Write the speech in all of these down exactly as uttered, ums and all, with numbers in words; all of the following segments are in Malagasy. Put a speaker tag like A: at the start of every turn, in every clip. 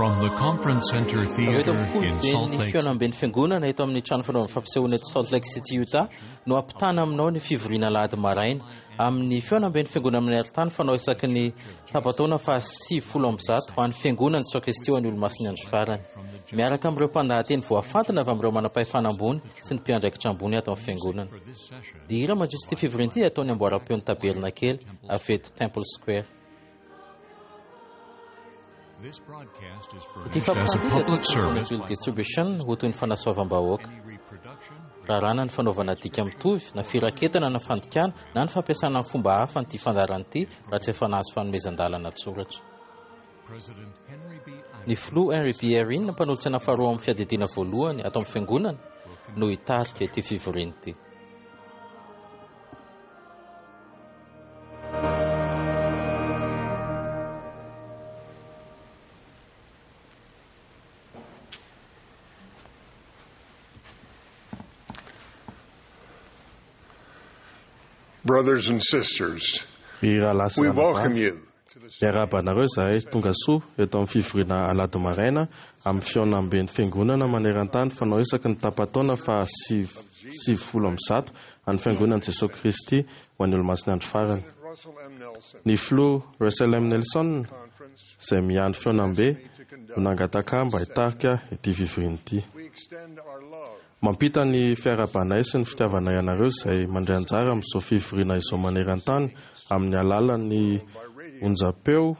A: From the Conference Center
B: Avy eto
A: Theater
B: amin'ny
A: in Salt
B: foiben'ny
A: Lake
B: fihaonamben'ny fiangonana eto amin'ny trano fanaovana fampisehoana eto Salt Lake City Utah no ampitana aminao ny fivoriana alahady maraina amin'ny fihaonamben'ny fiangonana amin'ny alintany fanao isaky ny tapa-taona faha sivifolo amby zato ho an'ny fiangonana Jesoa Kristy ho an'ny olomasin'ny andro farany, miaraka amin'ireo mpandahateny voafantina avy amin'ireo manam-pahefana ambony sy ny mpiandraikitra ambony ato amin'ny fiangonana. Ny hira mandritra ity fivoriana ity ataon'ny amboaram-peon'ny tabernakely avy eto Temple Square.
A: This broadcast is
B: Ity
A: furnished as a
B: fampitana ity
A: public
B: dia
A: service
B: Bill Distribution ho toy ny fanasoavam-bahoaka.
A: Any reproduction,
B: Raràna ny fanaovana dika mitovy na firaketana na fandikana na ny fampiasana ny fomba hafa an'ity fandaharana ity raha tsy efa nahazo fanomezan-dalana an-tsoratra.
A: President Henry B.
B: Ny filoha Henry B. Eyring, mpanolotsaina faharoa amin'ny fiadidiana voalohany ato amin'ny fiangonana, no hitarika ity fivoriana ity.
C: Brothers and sisters,
D: Ry rahalahy sy
C: we welcome
D: ranabavy,
C: you to the
D: miarahaba anareo izahay tonga soa eto amin'ny fivoriana alahady maraina amin'ny fihaonamben'ny fiangonana maneran-tany fanao isaky ny tapa-taona faha sivy sivifolo amby zato an'ny fiangonan'i Jesoa Kristy ho an'ny olomasin'ny andro farany.
C: Russell M. Nelson
D: Ny filoha Russell M. Nelson
C: Conference.
D: izay miandry fihaonambe no nangataka mba hitarika ity fivoriana ity.
C: We extend our love
D: Mampita ny fiarahabanay sy ny fitiavanay anareo izay mandray anjara amin'izao fivoriana izao maneran-tany amin'ny alalan'ny onjam-peo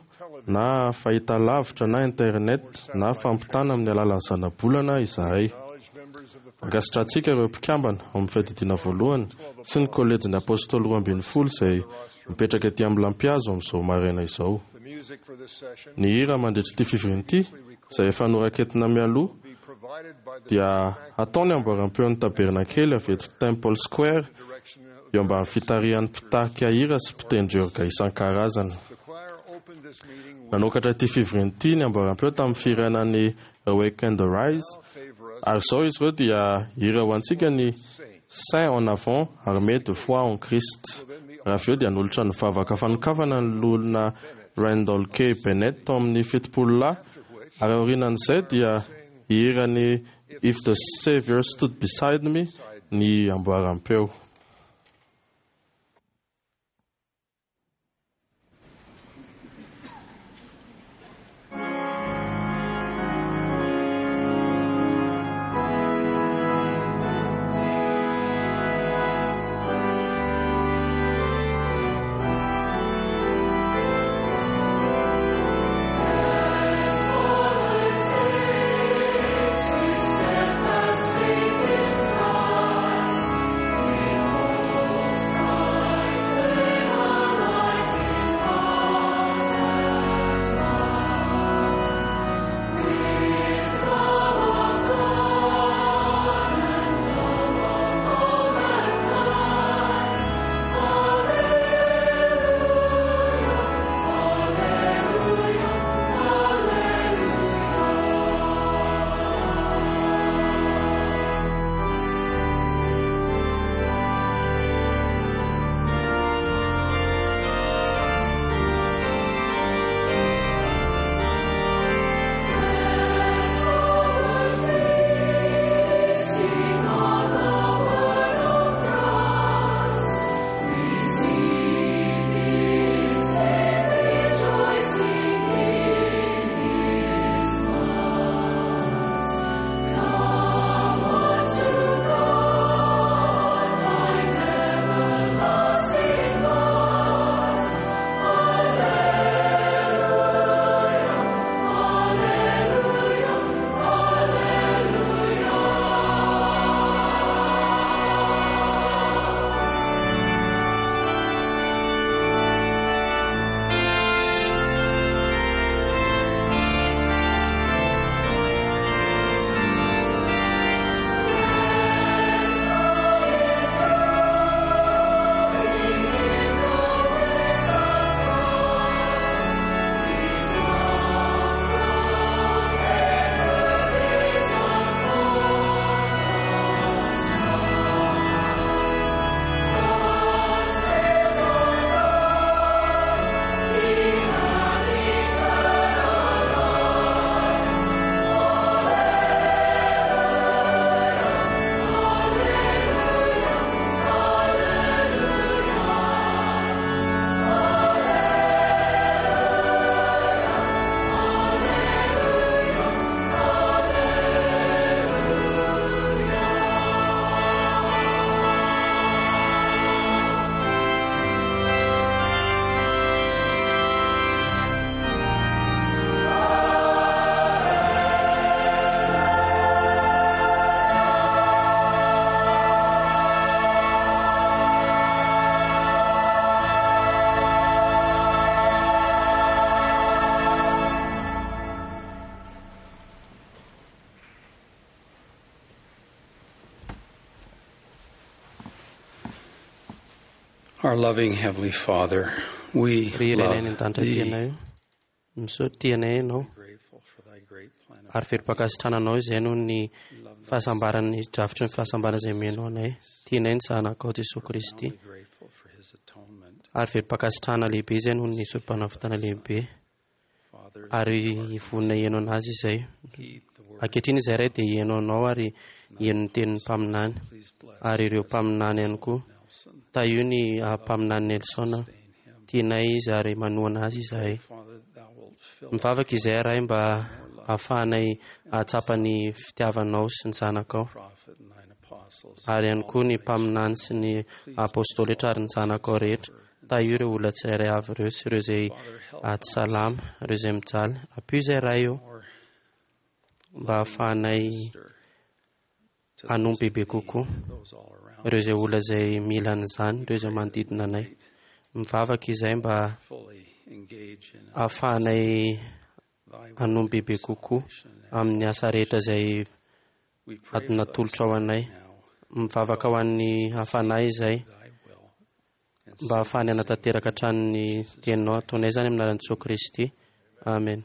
D: na fahitalavitra na internet na fampitana amin'ny alalan'ny zanabolana izahay.
C: acknowledge members of the
D: Ankasitrahantsika ireo mpikambana ao amin'ny fiadidiana voalohany sy ny kolejin'ny apôstôly roa ambin'ny folo izay mipetraka ety amin'ny lampihazo amin'izao maraina izao.
C: the music for this session
D: Ny hira mandritra ity fivoriana ity izay efa noraketina mialoha
C: be provided by the
D: dia ataony amboaram-peon'ny tabernakely avy eto Temple Square
C: direction of
D: eo ambany fitarihan'ny mpitarika hira sy mpitendry orga isan-karazany.
C: the choir opened this meeting with
D: Nanokatra ity fivoriana ity ny amboaram-peo tamin'ny fihirana ny Awake and Arise
C: favor us
D: ary izao izy ireo dia hira ho antsika ny Saint en avant armé de foi en Christ. Raha avy eo dia nanolotra ny vavaka fanokafana ny loholona Randall K. Bennett tao amin'ny fitopolo lahy ary aorianan'izay dia hihira ny If the Savior Stood Beside Me ny amboaram-peo.
E: Steadfast faith in Christ, we Our loving Heavenly Father, we
F: Ry Ray any
E: love
F: an-danitra
E: thee.
F: tianay io, misaotra tianay ianao
E: Grateful for thy great plan of
F: ary velom-pankasitrahana anao izay noho ny fahasambaran'ny drafitry ny fahasambarana izay omenao anay. Tianay ny zanakao Jesoa Kristy
E: grateful for his atonement.
F: ary velom-pankasitrahana lehibe izay noho ny sorompanavotana lehibe
E: Father,
F: ary vonona hihaino anazy izay.
E: heed the word.
F: Ankehitriny izay Ray dia hihaino anao ary hihaino ny tenin'ny mpaminany
E: Please bless
F: ary ireo mpaminany ihany koa.
E: Nelson.
F: Tahio ny ah, mpaminany Nelson, tianay izy ary manohana azy izahay.
E: Father, thou wilt fill
F: Mivavaka izay Ray mba ahafahanay ahatsapa ny fitiavanao sy ny zanakao
E: prophet and thine apostles.
F: ary ihany koa ny mpaminany sy ny apôstôly rehetra ary ny zanakao rehetra. Tahio ireo olona tsirairay avy ireo sy ireo izay ah, tsy salama, ireo izay mijaly. Ampio izay Ray io
E: More
F: mba ahafahanay
E: to
F: hanompo bebe kokoa
E: those all around.
F: ireo izay olona izay mila an'izany, ireo izay manodidina anay. Mivavaka izay mba
E: Fully engage in
F: ahafahanay
E: thy
F: hanompo bebe kokoa amin'ny asa rehetra izay
E: We pray for
F: natolotra ho anay.
E: now
F: Mivavaka ho an'ny hafanahy izay
E: thy will and
F: mba hahafahany hanatanteraka hatrany ny teninao. Ataonay izany amin'ny anaran'i Jesoa Kristy. Amen.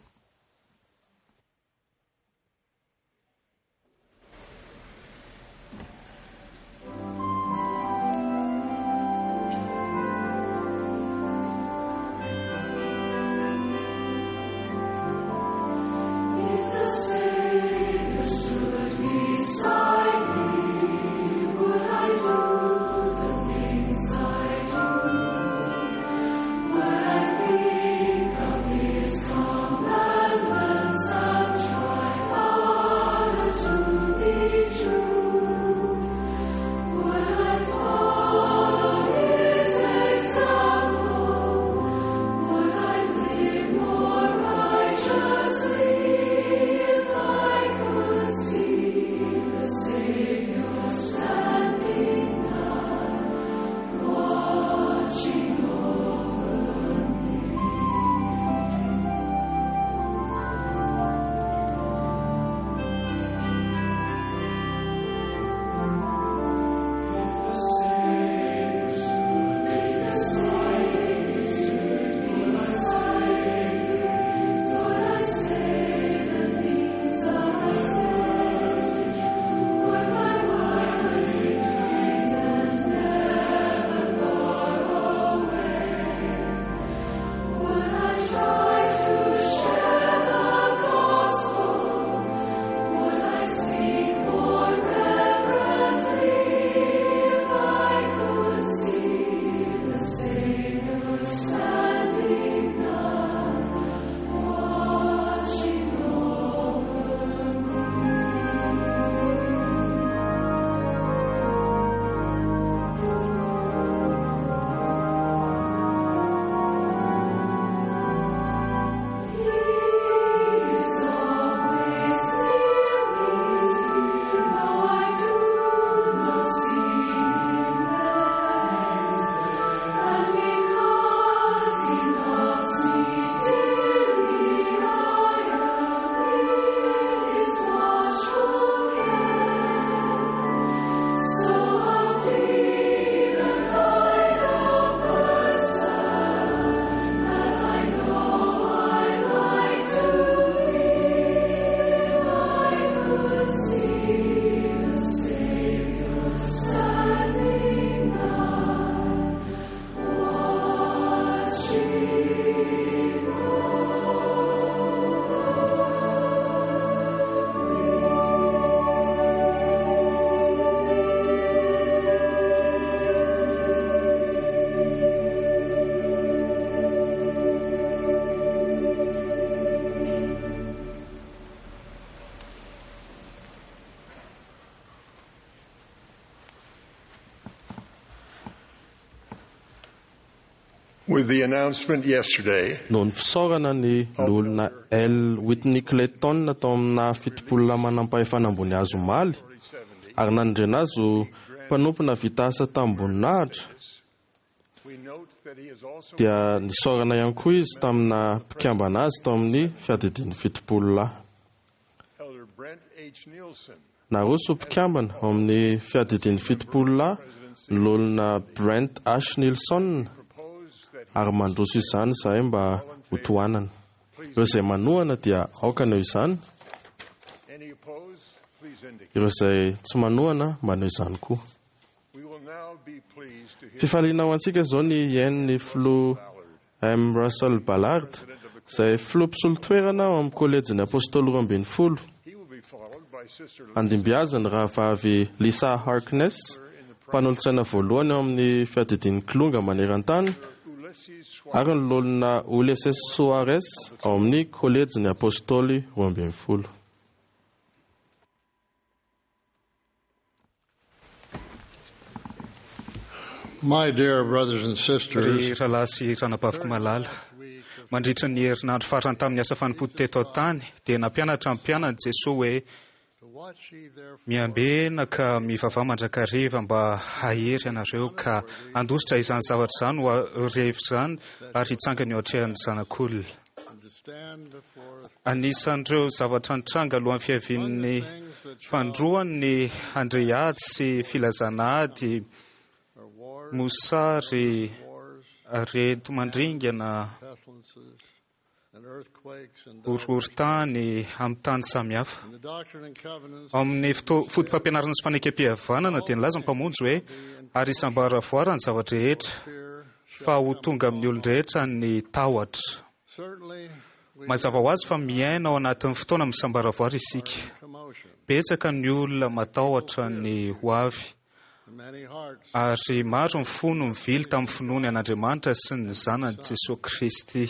C: With the announcement yesterday
D: Noho ny fisaorana ny loholona L. Whitney Clayton tao amina fitopolona manampahefana ambony azy omaly ary nanendrena azy ho mpanompona vita asa tamim-boninahitra
C: we note that he is also
D: dia nisaorana ihany koa izy tamina mpikambana azy tao amin'ny fiadidian'ny fitopolona.
C: Elder Brent H. Nielsen
D: Naroso ho mpikambana ao amin'ny fiadidian'ny fitopolo lahy ny loholona Brent H. Nilson ary mandroso izany izahay mba ho tohanana. Ireo izay manohana dia aoka hanao izany, ireo izay tsy manohana manao izany koa. Fifaliana ho antsika izao ny hihaino ny filoha M. Russell Ballard, izay filoha mpisolo toerana ao amin'ny kolejin'ny apôstôly roa ambin'ny folo. Handimby azy ny rahavavy Lisa Harkness, mpanolotsaina voalohany ao amin'ny fiadidian'ny kilonga maneran-tany, ary ny loholona Ulisses Soares ao amin'ny kolejin'ny apôstôly roa ambin'ny folo.
C: My dear brothers and sisters,
G: Ry rahalahy sy ranabaviko malala, mandritra ny herinandro farany tamin'ny asa fanompoana teto an-tany dia nampianatra ny mpianany Jesoa hoe miambena ka mivavaha mandrakariva mba hahery ianareo ka handositra izany zavatra izany ho rehefa izany ary hitsangana eo atrehan'ny zanak'olona. Anisan'ireo zavatra nitranga alohan'ny fiavian'ny fandroany ny handre ady sy filazana ady, mosary, areti-mandringana, horohorontany amin'ny tany samihafa. Ao amin'ny foto- foto-pampianarana sy fanekempihavanana dia nilaza ny Mpamonjy hoe ary isam-baravoara ny zava-drehetra fa ho tonga amin'ny olon-drehetra ny tahotra. Mazava ho azy fa miaina ao anatin'ny fotoana misambaravoara isika. Betsaka ny olona matahotra ny ho avy, ary maro ny fo no mivily tamin'ny finoany an'Andriamanitra sy ny zanany Jesoa Kristy.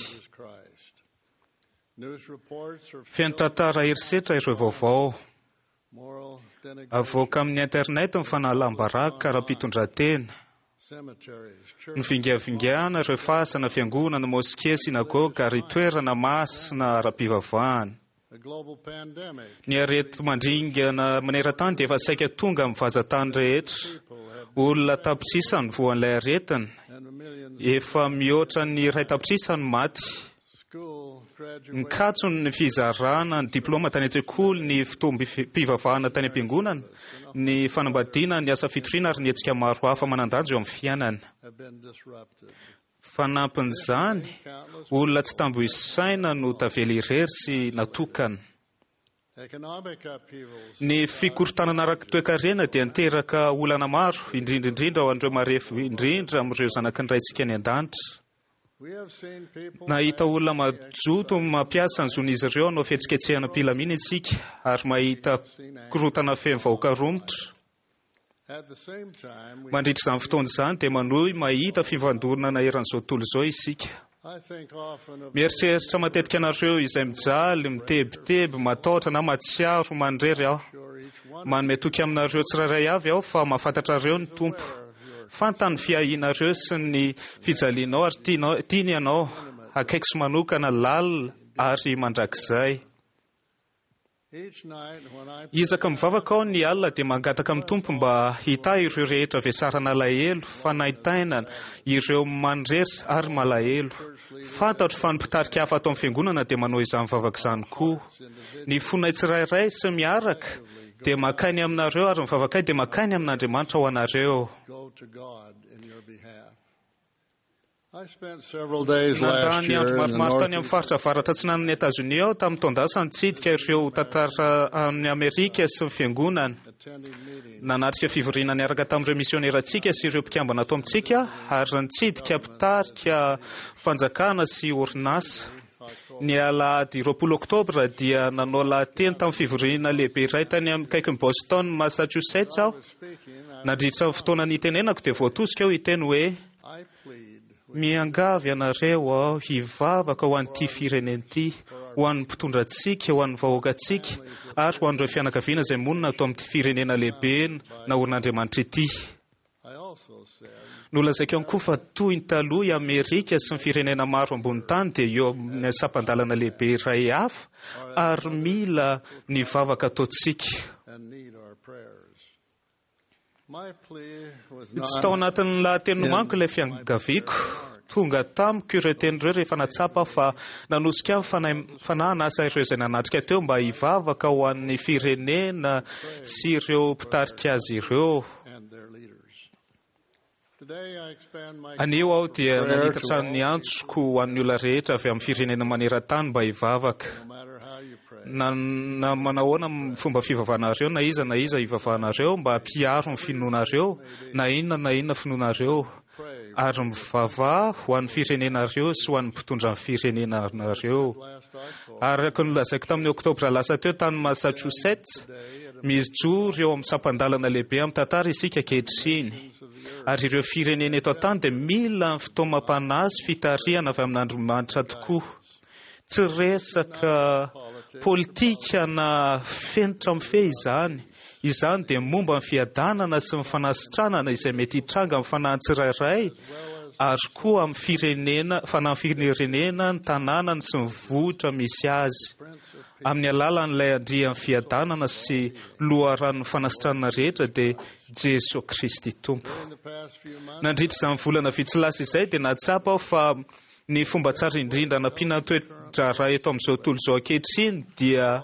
G: Feno tantara herisetra ireo vaovao. Avoaka amin'ny internet ny fanalam-baraka ara-pitondran-tena, ny vingavingana ireo fasana, fiangonana, moske, synagoga ary toerana masina ara-pivavahana. Ny areti-mandringana maneran-tany dia efa saika tonga amin'ny vazan-tany rehetra. Olona tapitrisa ny voan'ilay aretina, efa mihoatra ny iray tapitrisa ny maty. Nikatso ny fizarana ny diplôma tany an-tsekoly, ny fotoam-pivavahana tany am-piangonana, ny fanambadiana, ny asa fitoriana ary ny hetsika maro hafa manan-danja eo amin'ny fiainana. Fanampin'izany, olona tsy tambo isaina no tavela irery sy natokana. Ny fikorontanana ara-toekarena dia niteraka olana maro, indrindra indrindra ho an'ireo marefo indrindra amin'ireo zanaky ny Raintsika any an-danitra. Nahita olona mazoto mampiasa ny zon'izy ireo hanao fihetsiketsehana am-pilamina isika ary mahita korontana feno vahoaka romotra. Mandritra izany fotoana izany dia manohy mahita fifandonana eran'izao tontolo izao isika. Mieritreritra matetika anareo izay mijaly, mitebiteby, matahotra na mahatsiaro manirery aho. Manome toky aminareo tsirairay avy aho fa mahafantatrareo ny Tompo. Fantany ny fiahianareo sy ny fijalianao ary tianao, tiany ianao, akaiky sy manokana, lalina ary mandrakizay. Isaka mivavaka aho ny alina dia mangataka amin'ny Tompo mba hitahy ireo rehetra vesarana alahelo, fanaintainana, ireo manirery ary malahelo. Fantatro fa ny mpitarika hafa ato amin'ny fiangonana dia manao izany vavaka izany koa. Ny fonay tsirairay sy miaraka dia mankany aminareo ary ny vavakay dia mankany amin'Andriamanitra ho anareo. Nandany andro maromaro tany amin'ny faritra avaratra atsinanan'i Etazonia aho tamin'ny taon-dasa nitsidika ireo tantara amin'ny Amerika sy ny fiangonana. Nanatrika fivoriana niaraka tamin'ireo misionerantsika sy ireo mpikambana ato amintsika ary nitsidika mpitarika fanjakana sy orinasa. Ny alahady roapolo oktobra dia nanao lahateny tamin'ny fivoriana lehibe iray tany amin'ny akaikin'i Boston, Massachusetts aho. Nandritra ny fotoana nitenenako dia voatosika aho hiteny hoe miangavy ianareo aho hivavaka ho an'ity firenena ity, ho an'ny mpitondra antsika, ho an'ny vahoakantsika ary ho an'ireo fianakaviana izay monina ato amin'ity firenena lehibe naorin'Andriamanitra ity. Nolazaiko ihany koa fa toy ny taloha i Amerika sy ny firenena maro ambony tany dia eo amin'ny sampan-dalana lehibe iray hafa ary mila ny vavaka ataontsika. Tsy tao anatin'ny lahateny nomaniko ilay fiangaviako. Tonga tamiko ireo teny ireo rehefa natsapa fa nanosika ny fanahy hanasa ireo izay nanatrika teo mba hivavaka ho an'ny firenena sy ireo mpitarika azy ireo. Anio aho dia manitatra ny antsoko ho an'ny olona rehetra avy amin'ny firenena maneran-tany mba hivavaka. Na, na manahoana fomba fivavahanareo, na iza na iza hivavahanareo, mba hampiaro ny finoanareo, na inona na inona finoanareo, ary mivavaha ho an'ny firenenareo sy ho an'ny mpitondra ny firenenareo. Araka ny nolazaiko tamin'ny oktobra lasa teo tany Massachusetts, mijoro eo amin'ny sampan-dalana lehibe amin'ny tantara isika ankehitriny. Ary ireo firenena eto an-tany dia mila ny fitaomam-panahy sy fitarihana avy amin'Andriamanitra tokoa. Tsy resaka politika na fenitra mifehy izany. Izany dia momba ny fiadanana sy ny fanasitranana izay mety hitranga amin'ny fanahy tsirairay, ary koa amin'ny firenena, fanahy firenena, ny tanànany sy ny vohitra misy azy. Amin'ny alalan'ilay andrian'ny fiadanana sy loharanon'ny fanasitranana rehetra dia Jesoa Kristy Tompo. Nandritra izany volana vitsy lasa izay dia nahatsapa aho fa ny fomba tsara indrindra nampiana toe-draharaha eto amin'izao tontolo izao ankehitriny dia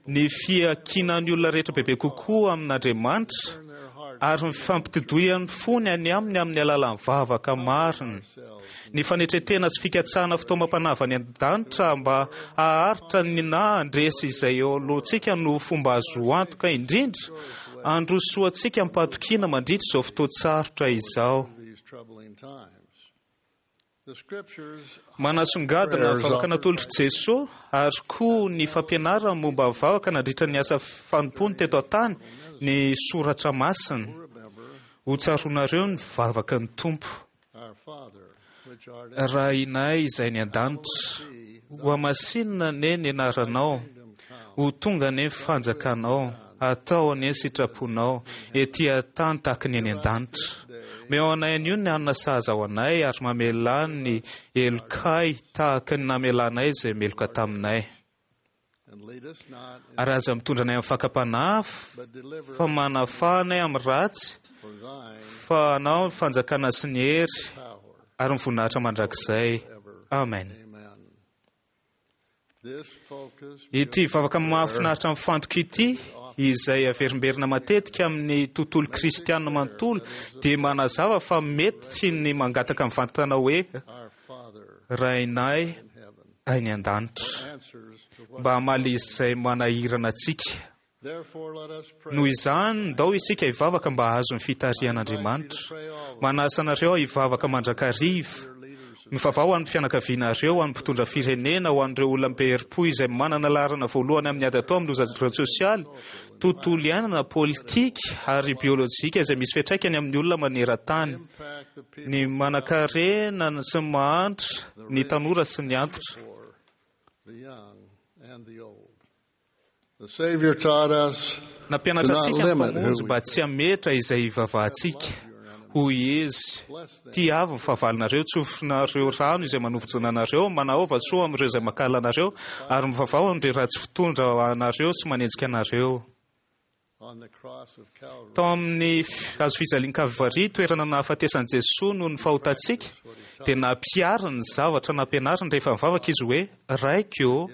G: ny fiankinan'ny olona rehetra bebe kokoa amin'Andriamanitra ary ny fampitodoian'ny fony any aminy amin'ny alalan'ny vavaka marina. Ny fanetretena sy fikatsahana fitaomam-panahy avy any an-danitra mba haharitra ny na handresy izay eo alohantsika no fomba azo antoka indrindra handrosoantsika am-pahatokiana mandritra izao fotoan-tsarotra izao. Manasongadina ny vavaka natolotr'i Jesoa ary koa ny fampianarany momba ny vavaka nandritra ny asa fanompoany teto an-tany ny soratra masina. Ho tsaroanareo ny vavaka ny Tompo. Rainay izay ny an-danitra, ho hamasinina anie ny anaranao, ho tonga anie ny fanjakanao, atao anie ny sitraponao, ety an-tany tahaka ny any an-danitra. Omeo anay anio ny hanina sahaza ho anay ary mamelà ny helokay tahaka ny namelanay izay meloka taminay. Ary aza mitondra anay amin'ny fakam-panahy, fa manafaha anay amin'ny ratsy, fa anao ny fanjakana sy ny hery ary ny voninahitra mandrakizay. Amen. Ity vavaka mahafinaritra mifantoka ity, izay averimberina matetika amin'ny tontolo kristianina manontolo, dia manazava fa mety ny mangataka mivantana hoe Rainay any an-danitra, mba hamaly izay manahirana antsika. Noho izany, ndao isika hivavaka mba hahazo ny fitarihan'Andriamanitra. Manasa anareo aho hivavaka mandrakariva. Mivavaha ho an'ny fianakavianareo, ho an'ny mpitondra firenena, ho an'ireo olona be herim-po izay manana laharana voalohany amin'ny ady atao amin'ny loza ara-tsosialy, tontolo iainana, politika ary biolojika izay misy fiantraikany amin'ny olona maneran-tany, ny manankarena sy ny mahantra, ny tanora sy ny antitra. Nampianatra antsika ny Mpamonjy mba tsy hametra izay hivavahantsika. Hoy izy, tiavo ny fahavalonareo, tsofinareo rano izay manovonjona anareo, manaova soa amin'ireo izay mankahala anareo, ary mivavaha amin'ireo ratsy fitondra anareo sy manenjika anareo. Tao amin'ny hazo fijalian'i Kalvary, toerana nahafatesan'i Jesoa noho ny fahotantsika, dia nampihariny ny zavatra nampianariny rehefa nivavaka izy hoe, Raiko,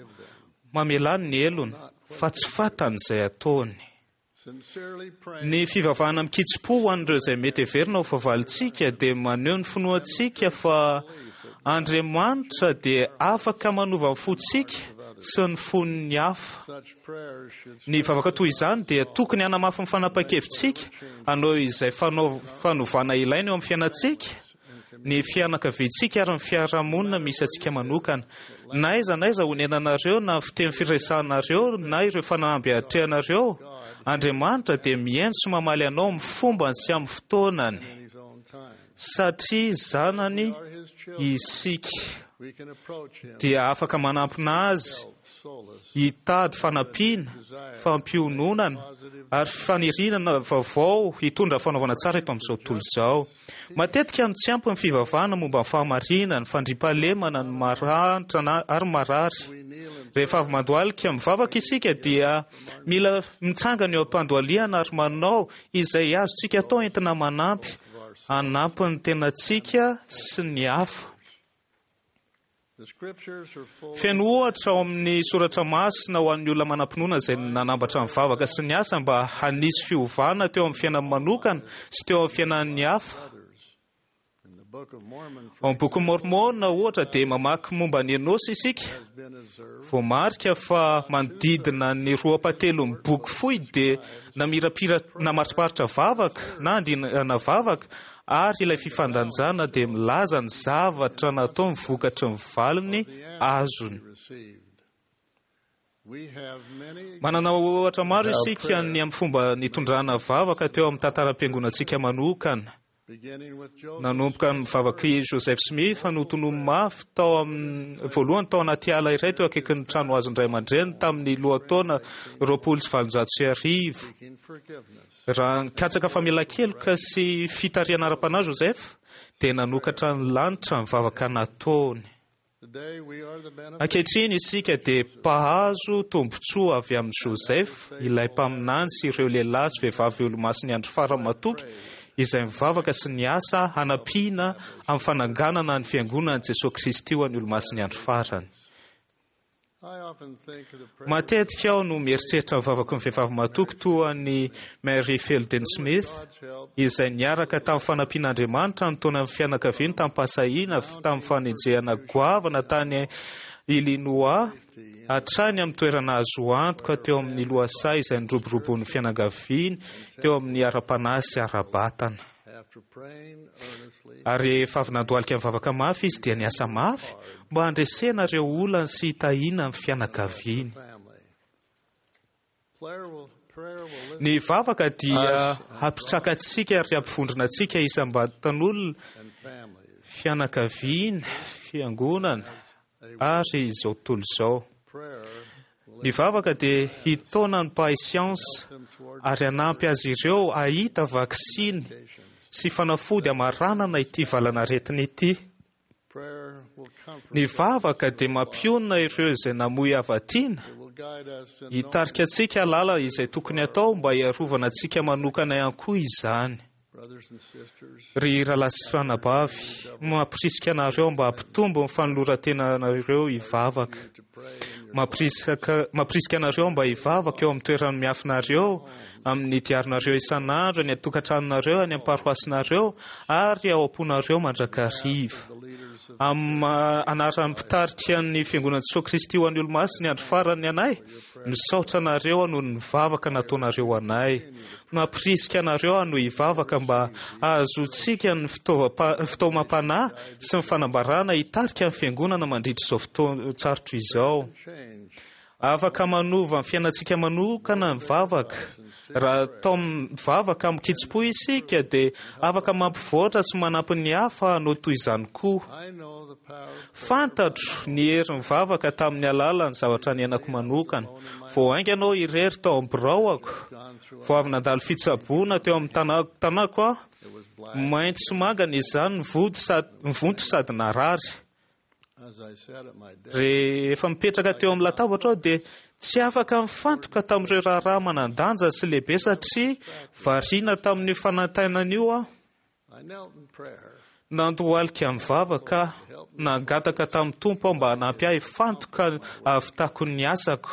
G: mamelà ny helony, fa tsy fantany izay ataony. Ny fivavahana mikitsi-po ho an'ireo izay mety heverina ho fahavalontsika dia maneho ny finoantsika fa Andriamanitra dia afaka manova ny fontsika sy ny fon'ny hafa. Ny vavaka toy izany dia tokony hanamafy ny fanapahan-kevitsika hanao izay fanovana ilaina eo amin'ny fiainantsika, ny fianakaviantsika ary ny fiarahamonina misy antsika manokana. Na aiza na aiza honenanareo, na fiteny firesahanareo, na ireo fanamby atrehanareo, Andriamanitra dia mihaino sy mamaly anao amin'ny fombany sy amin'ny fotoanany, satria zanany isika dia afaka manampina azy hitady fanampiana, fampiononana ary faniriana vaovao hitondra fanaovana tsara eto amin'izao tontolo izao. Matetika no tsy ampy ny fivavahana momba ny fahamarinana, ny fandriampahalemana, ny mahantra ary ny marary. Rehefa avy mandohalika mivavaka isika dia mila mitsangana eo am-pandohalihana ary manao izay azontsika atao entina manampy, hanampy ny tenantsika sy ny hafa. Feno ohatra ao amin'ny soratra masina ho an'ny olona manam-pinoana izay nanambatra ny vavaka sy ny asa mba hanisy fiovana teo amin'ny fiainany manokana sy teo amin'ny fiainan'ny hafa. Ao amin'ny boky Mormona ohatra dia mamaky momba ny Enosy isika. Voamarika fa manodidina ny roa ampahatelon'ny boky fohy dia namirapira namariparitra vavaka na andinana vavaka, ary ilay fifandanjana dia milaza ny zavatra natao ny vokatry ny valiny azony. Manana ohatra maro isika ny amin'ny fomba nitondrana vavaka teo amin'ny tantaram-piangonantsika manokana. Nanomboka ny vavak'i Joseph Smith notonomy mafy tao amin'ny voalohany tao anaty ala iray teo akaikin'ny trano azon-dray aman-dreny tamin'ny lohataona roapolo sy valonjato sy arivo. Raha nikatsaka famelan-keloka sy fitarihana ara-panahy Joseph dia nanokatra ny lanitra ny vavaka nataony. Ankehitriny isika dia mpahazo tombontsoa avy amin'i Joseph, ilay mpaminany sy ireo lehilahy sy vehivavy olomasin'ny andro farany matoky izay mivavaka sy ny asa hanampiana amin'ny fananganana ny fiangonan'i Jesosy Kristy ho an'ny olomasin'ny andro farany. Matetika aho no mieritreritra ny vavaky ny vehivavy matoky toa ny Mary Fielding Smith izay niaraka tamin'ny fanampian'Andriamanitra nitaona ny fianakaviany tamin'ny-pahasahiana tamin'ny fanenjehana goavana tany Illinois hatrany amin'ny toerana azo antoka teo amin'ny lohasaha izay niroboroboan'ny fianakaviany teo amin'ny ara-panahy sy ara-batana. Ary rehefa avy nandohalika mivavaka mafy izy dia niasa mafy mba handresena ireo olana sy hitahiana ny fianakaviany. Ny vavaka dia hampitraka antsika ary hampivondrona antsika isam-batan'olona, fianakaviana, fiangonana ary izao tontolo izao. Ny vavaka dia hitaona ny mpahay siansa ary hanampy azy ireo hahita vaksiny sy fanafody hamaranana ity valan'aretina ity. Ny vavaka dia mampionona ireo izay namoy havatiana, hitarika antsika hahalala izay tokony atao mba hiarovana antsika manokana ihany koa izany. Ry rahalahy sy ranabavy, mampirisika anareo mba hampitombo ny fanoloran-tenanareo hivavaka. Mampirisika mampirisika anareo mba hivavaka eo amin'ny toerana miafinareo, amin'ny diarinareo isan'andro, any an-tokantranonareo, any amin'ny paroasinareo ary ao am-ponareo mandrakariva. Amin'ny anaran'ny mpitarika ny fiangonan'i Jesosy Kristy ho an'ny olomasina ny andro farany anay, misaotra anareo noho ny vavaka nataonareo anay. Mampirisika anareo hanohy hivavaka mba hahazoantsika ny fitaomam-panahy sy ny fanambarana hitarika ny fiangonana mandritra izao fotoan-tsarotra izao. Afaka manova ny fiainantsika manokana ny vavaka. Raha atao mivavaka amin-kitsim-po isika dia afaka mampivoatra sy manampy ny hafa hanao toy izany koa. Fantatro ny herin'ny vavaka tamin'ny alalan'ny zavatra niainako manokana. Vao haingana aho irery tao amin'ny biraoko, vao avy nandalo fitsaboana teo amin'ny tanako aho, mainty sy mangana izany, nivonto sady narary. Rehefa mipetraka teo amin'ny latabatra aho dia tsy afaka mifantoka tamin'ireo raharaha manan-danja sy lehibe satria variana tamin'io fanaintainana io aho. Nandohalika mivavaka, nangataka tamin'ny Tompo aho mba hanampy ahy hifantoka hahavitako ny asako.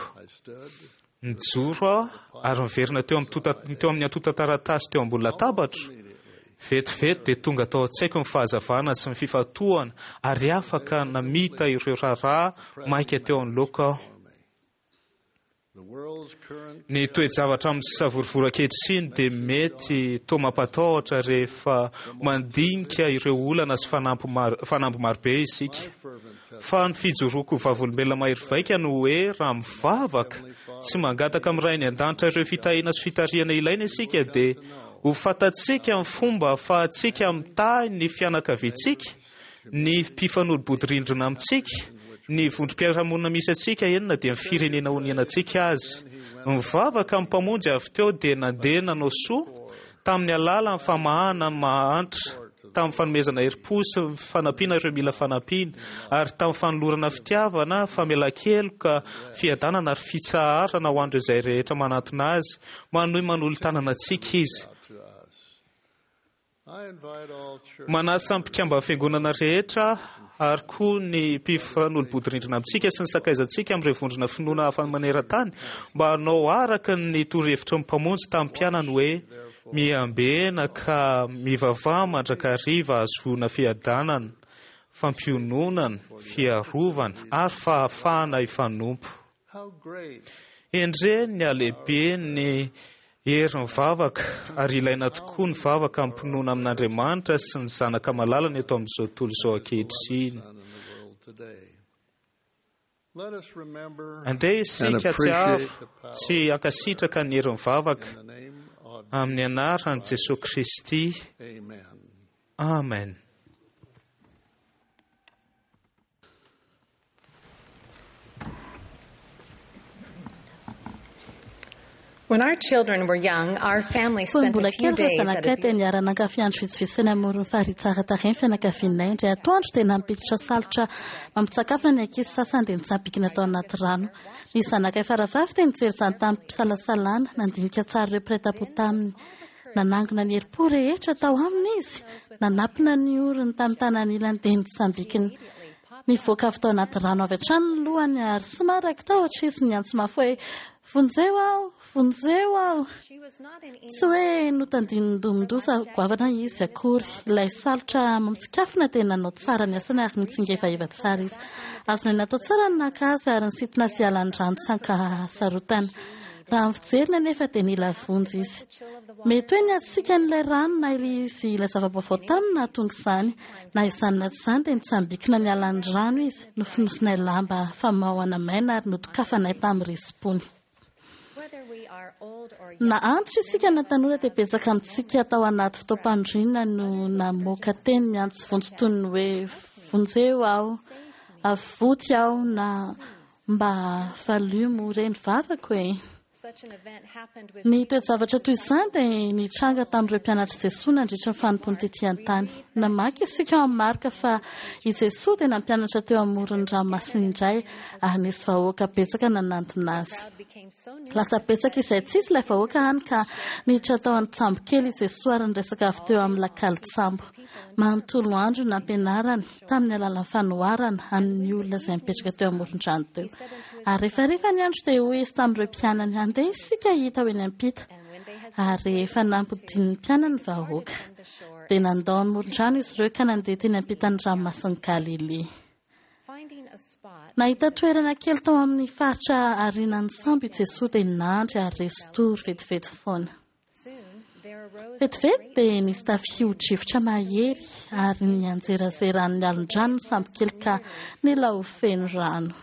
G: Nijoro aho ary niverina teo amin'ny antontan-taratasy teo ambony latabatra. Vetivety dia tonga tao an-tsaiko ny fahazavana sy ny fifantohana ary afaka namita ireo raharaha maika teo anoloako aho. Ny toe-javatra amin'ny savorovoro ankehitriny dia mety toa mampatahotra rehefa mandinika ireo olana sy fanamby marobe isika. Fa ny fijoroako vavolombelona mahery vaika no hoe raha mivavaka sy mangataka amin'ny Ray any an-danitra ireo fitahiana sy fitarihana ilaina isika dia ho fantatsika ny fomba ahafahantsika mitahy ny fianakaviantsika, ny mpifanolo-bodirindrina amintsika, ny vondrom-piarahamonina misy antsika enina dia ny firenena onenantsika azy. Mivavaka amin'ny Mpamonjy avy teo dia nandeha nanao soa tamin'ny alalan'ny famahana ny mahantra, tamin'ny fanomezana herim-po sy fanampiana ireo mila fanampiana, ary tamin'ny fanolorana fitiavana, famelan-keloka, fiadanana ary fitsaharana ho an'ireo izay rehetra manantona azy. Manohy manolo-tanana antsika izy. Manasa ny mpikamban'ny fiangonana rehetra ary koa ny mpifanolobodirindrina amintsika sy ny sakaizantsika amin'ireo vondrona finoana hafa maneran-tany mba hanao araka ny torohevitry ny Mpamonjy tamin'ny mpianany hoe miambena ka mivavaha mandrakariva ahazoana fiadanana, fampiononana, fiarovana ary fahafahana hifanompo. Endrey ny halehiben'ny herin'ny vavaka, ary ilaina tokoa ny vavaka am-pinoana amin'Andriamanitra sy ny Zanaka malalany eto amin'izao tontolo izao ankehitriny. Andeha isika hahatsiaro sy hankasitraka ny herin'ny vavaka amin'ny anaran'i Jesosy Kristy. Amen.
H: When our children were young, our family
I: Fony
H: spent
I: mbola
H: a few
I: kely ireo
H: days at a
I: zanakay dia niara-nankafy andro vitsivitsy teny amoron'ny farihy tsara tarehy ny fianakavianay. Indray atoandro dia nampiditra salotra mampitsakafona ny ankizy sasany dia nitsambikina tao anaty rano. Ny zanakay faravavy dia nijery izany tamim-pisalasalana, nandinika tsara ireo mpiray tampo taminy. Nanangona ny herim-po rehetra tao aminy izy, nanapina ny orony tamin'ny tanany ilany dia nitsambikina. Nivoaka avy tao anaty rano avy hatrany ny lohany ary somary raiki-tahotra izy niantso mafy hoe vonjeo aho, vonjeo aho. Tsy hoe notandindomin-doza goavana izy akory. Ilay salotra mampitsikafona dia nanao tsara ny asany ary nitsingevaheva tsara izy. Azonay natao tsara ny naka azy ary nisintona azy hiala ny rano tsy ankahasarotana. Raha ny fijeriny anefa dia nila vonjy izy. Mety hoe nihatsiaka an'ilay rano na izy ilay zava-baovao taminy nahatonga izany. Na izany na tsy izany dia nitsambikina niala ny rano izy, nofonosinay lamba famaohana maina ary notokafanay tamin'ny risi-pony. Na antitra isika na tanora dia betsaka amintsika tao anaty fotoam-panoriana no namoaka teny miantso vonjy toy ny hoe vonjeo aho, avoty aho na mba valio re ny vavako e. Ny toe-javatra toy izany dia nitranga tamin'ireo mpianatr'i Jesoa nandritra ny fanompoany tetỳ an-tany. Namaky isika ao amin'ny Marka fa i Jesoa dia nampianatra teo amoron'ny ranomasina indray ary nisy vahoaka betsaka nanantona azy. Lasa betsaka izay tsy izy ilay vahoaka hany ka niditra tao an-tsambo kely i Jesoa ary niresaka avy teo amin'ny lakalin-tsambo. Manontolo andro nampianarany tamin'ny alalan'ny fanoharana amin'ny olona izay mipetraka teo amoron-drano teo. Ary rehefa rehefa ny andro dia hoy izy tamin'ireo mpianany, andeha isika hita ho eny am-pita. Ary rehefa nampodian'ny mpianany ny vahoaka, dia nandao ny moron-drano izy ireo ka nandeha teny ampitan'ny ranomasin'i Galilea. Nahita toerana kely tao amin'ny faritra aorianan'ny sambo i Jesoa dia nandry ary resy-tory vetivety foana. Vetivety dia nisy tafio-drivotra mahery ary nianjerazeran'ny alon-drano ny sambo kely ka nila ho feno rano.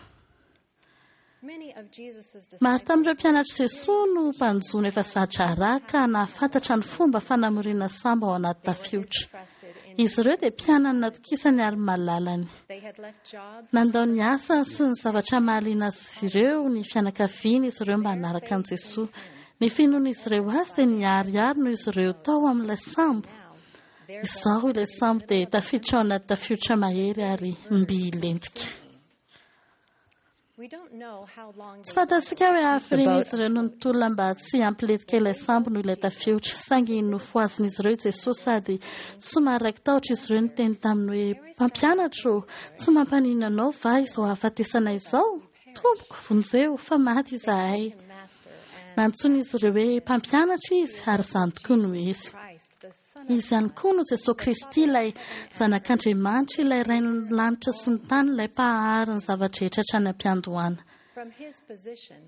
I: Maro tamin'ireo mpianatr'i Jesoa no mpanjono efa za-draharaha ka nahafantatra ny fomba fanamoriana sambo ao anaty tafiotra. Izy ireo dia mpianany natokisany ary malalany. Nandao ny asany sy ny zavatra mahaliana azy ireo ny fianakaviany izy ireo mba hanaraka an'i Jesoa. Ny finoan'izy ireo azy dia niharihary noho izy ireo tao amin'ilay sambo. Izao ilay sambo dia tafiditra ao anaty tafiotra mahery ary mby hilentika. Tsy fantatsika hoe hafirian'izy ireo no nitolona mba tsy hampilentika ilay sambo noho ilay tafiotra. Saingy nofohazin'izy ireo i Jesoa sady somary raiki-tahotra izy ireo niteny taminy hoe mpampianatra ô, tsy mampaninona anao va izao hahafatesana izao? Tompoko, vonjeo fa maty izahay. Nantsoin'izy ireo hoe mpampianatra izy ary izany tokoa no izy. Izy ihany koa no Jesoa Kristy, ilay Zanak'Andriamanitra, ilay Rain'ny lanitra sy ny tany, ilay mpahary ny zava-drehetra hatrany am-piandohana.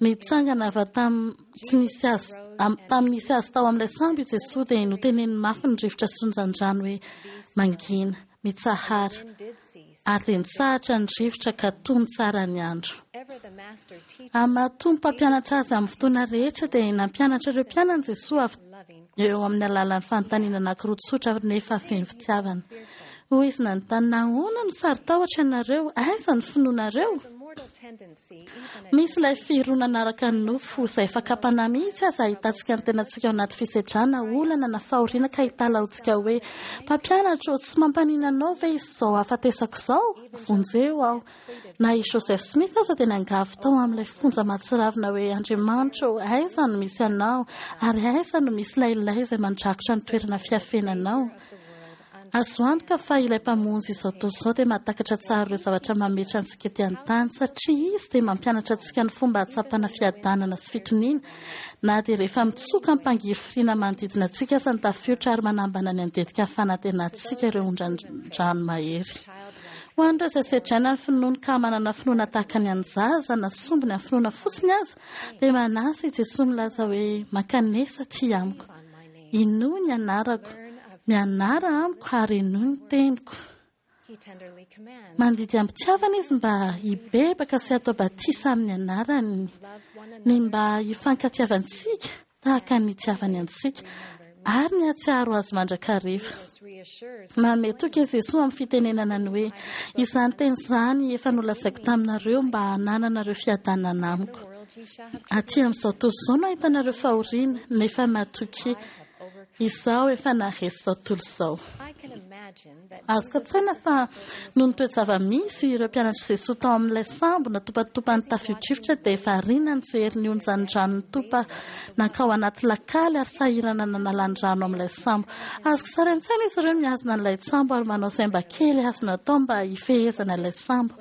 I: Nitsangana avy tam- tsy nisy azy am- tamin'ny nisy azy tao amin'ilay sambo i Jesoa dia noteneniny mafy ny rivotra sy onjan-drano hoe mangina, mitsahara. Ary dia nitsahatra ny rivotra ka tony tsara ny andro. Amin'ny maha Tompo mpampianatra azy amin'ny fotoana rehetra dia nampianatra ireo mpianany Jesoa avy eo amin'ny alalan'ny fanontaniana anankiroa tsotra nefa feno fitiavana. Hoy izy nanontany, nahoana no saro-tahotra ianareo? Aiza ny finoanareo? Misy ilay fironana araka ny nofo izay fakam-panahy mihitsy aza ahitantsika ny tenantsika ao anaty fisedrana, olana na fahoriana ka hitalahoantsika hoe mpampianatra ô, tsy mampaninona anao ve izao hahafatesako izao? Vonjeo aho. Na i Joseph Smith aza dia niangavy tao amin'ilay fonja mahatsiravina hoe Andriamanitra ô, aiza no misy anao? Ary aiza no misy ilay ilay izay mandrakotra ny toerana fiafenanao? Azo antoka fa ilay Mpamonjy izao tontolo izao dia mahatakatra tsara ireo zavatra mametra antsika ety an-tany, satria izy dia mampianatra antsika ny fomba hahatsapana fiadanana sy fitoniana, na dia rehefa mitsoka am-pangirifiriana manodidina antsika aza ny tafiotra ary manambana ny handetika ny fanantenantsika ireo ondran-drano mahery. Ho an'ireo izay sedraina ny finoany ka manana finoana tahaka ny an'ny zaza na sombiny amin'ny finoana fotsiny aza, dia manasa i Jesoa milaza hoe: "Mankanesa aty amiko, inoy ny anarako, mianara amiko ary henoy ny teniko." Mandidy am-pitiavana izy mba hibebaka sy hatao batisa amin'ny anarany, ny mba hifankatiavantsika tahaka ny nitiavany antsika, ary ny hahatsiaro azy mandrakariva. Manome toky i Jesoa amin'ny fitenenana ny hoe: "Izany teny izany efa nolazaiko taminareo mba hanananareo fiadanana amiko. Aty amin'izao tontolo izao no ahitanareo fahoriana, nefa matokia, izaho efa naharesy izao tontolo izao." Azoko an-tsaina fa noho ny toe-java-misy, ireo mpianatr'i Jesoa tao amin'ilay sambo natopatopan'ny tafio-drivotra dia variana nijery ny onjan-drano nitopa nankao anaty lakaly ary sahirana nanala ny rano amin'ilay sambo. Azoko sary an-tsaina izy ireo mihazona an'ilay sambo ary manao izay mba kely azo natao mba hifehezana ilay sambo.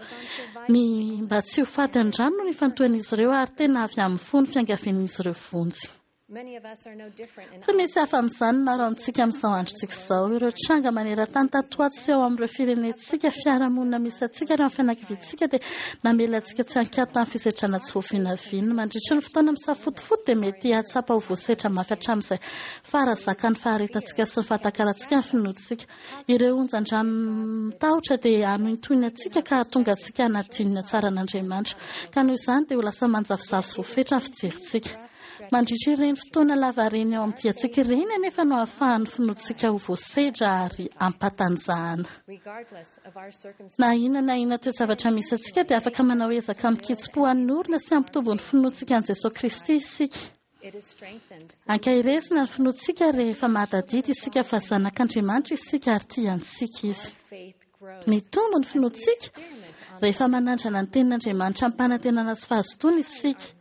I: Ny mba tsy ho faty an-drano no nifantohan'izy ireo ary tena avy amin'ny fo ny fiangavian'izy ireo vonjy. Tsy misy hafa amin'izany ny maro amintsika amin'izao androntsika izao. Ireo tranga maneran-tany tato ho ato sy ao amin'ireo firenentsika, fiarahamonina misy antsika ary amin'ny fianakaviantsika dia namela antsika tsy an-kiato tamin'ny fisedrana tsy voavinavina. Mandritra ny fotoana misafotofoto dia mety hahatsapa ho voasetra mafy hatramin'izay faharazakan'ny faharetantsika sy ny fahatakarantsika ny finoantsika. Ireo onjan-dranon-tahotra dia hanohintohina antsika ka hahatonga antsika hanadino ny hatsaran'Andriamanitra. Ka noho izany dia ho lasa manjavozavo sy voafetra ny fijerintsika. Mandritra ireny fotoana lavareny ao amin'ny diantsika ireny anefa no ahafahan'ny finoantsika ho voasedra ary ampatanjahana. Na inona na inona toe-javatra misy antsika dia afaka manao ezaka amin-kitsim-po hanorina sy hampitombo ny finoantsika an'i Jesoa Kristy isika. Ankaherezina ny finoantsika rehefa mahatadidy isika fa zanak'Andriamanitra isika ary tia antsika Izy. Mitombo ny finoantsika rehefa manandrana ny tenin'Andriamanitra amim-panantenana sy fahazotoana isika.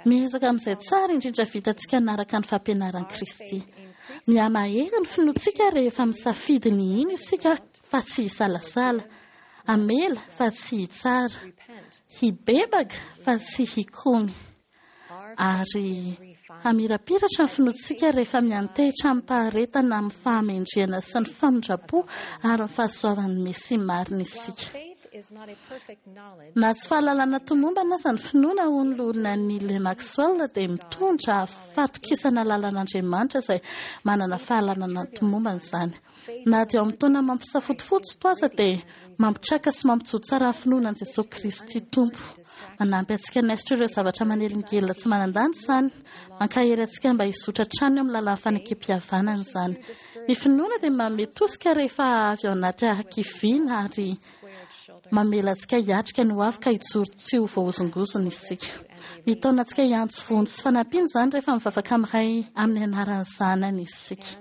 I: Miezaka amin'izay tsara indrindra vitantsika hanaraka ny fampianaran'i Kristy. Mihamahery ny finoantsika rehefa misafidy ny hino isika fa tsy hisalasala, hamela fa tsy hitsara, hibebaka fa tsy hikomy, ary hamirapiratra ny finoantsika rehefa miantehitra amim-paharetana amin'ny fahamendrehana sy ny famindram-po ary ny fahasoavan'ny Mesia marina isika. Na tsy fahalalana tomombana aza ny finoana, hoy ny loholona Neil Maxwell, dia mitondra fatokisana lalan'Andriamanitra izay manana fahalalana tomombana izany. Na dia ao amin'ny taona mampisafotofoto to aza dia mampitraka sy mampijoro tsara ny finoana an'i Jesoa Kristy Tompo. Manampy antsika hanaisotra ireo zavatra manelingelina tsy manan-danja izany. Mankahery antsika mba hizotra hatrany eo amin'ny lalan'ny fanekempihavanana izany. Ny finoana dia manome tosika rehefa avy ao anaty hakiviana ary mamela antsika hiatrika ny ho avy ka hijoro tsy ho voahozongozona isika. Mitaona antsika hiantso vonjy sy fanampiana izany rehefa mivavaka amin'ny Ray amin'ny anaran'ny Zanany isika.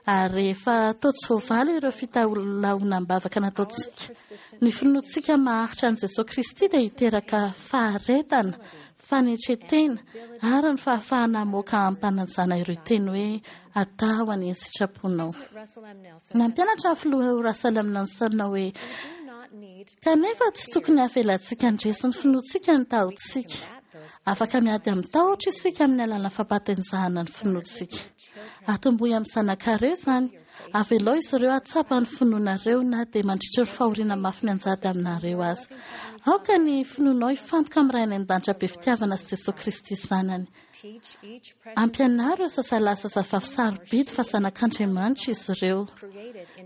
I: Ary rehefa toa tsy voavaly ireo fitalahoanam-bavaka nataontsika, ny finoantsika maharitra an'i Jesoa Kristy dia hiteraka faharetana, fanetren-tena ary ny fahafahana hamoaka amim-panajana ireo teny hoe atao anie ny sitraponao. Nampianatra ny filoha Russell M. Nelson hoe: "Kanefa tsy tokony havelantsika handresy ny finoantsika ny tahotsika. Afaka miady amin'ny tahotra isika amin'ny alalan'ny fampahatanjahana ny finoantsika. Atombohy amin'ny zanakareo izany. Avelao izy ireo hahatsapa ny finoanareo na dia mandritra ny fahoriana mafy mianjady aminareo aza. Aoka ny finoanao hifantoka amin'ny Ray any an-danitra be fitiavana sy Jesoa Kristy Zanany. Ampianaro ireo zazalahy sy zazavavy sarobidy fa zanak'Andriamanitra izy ireo.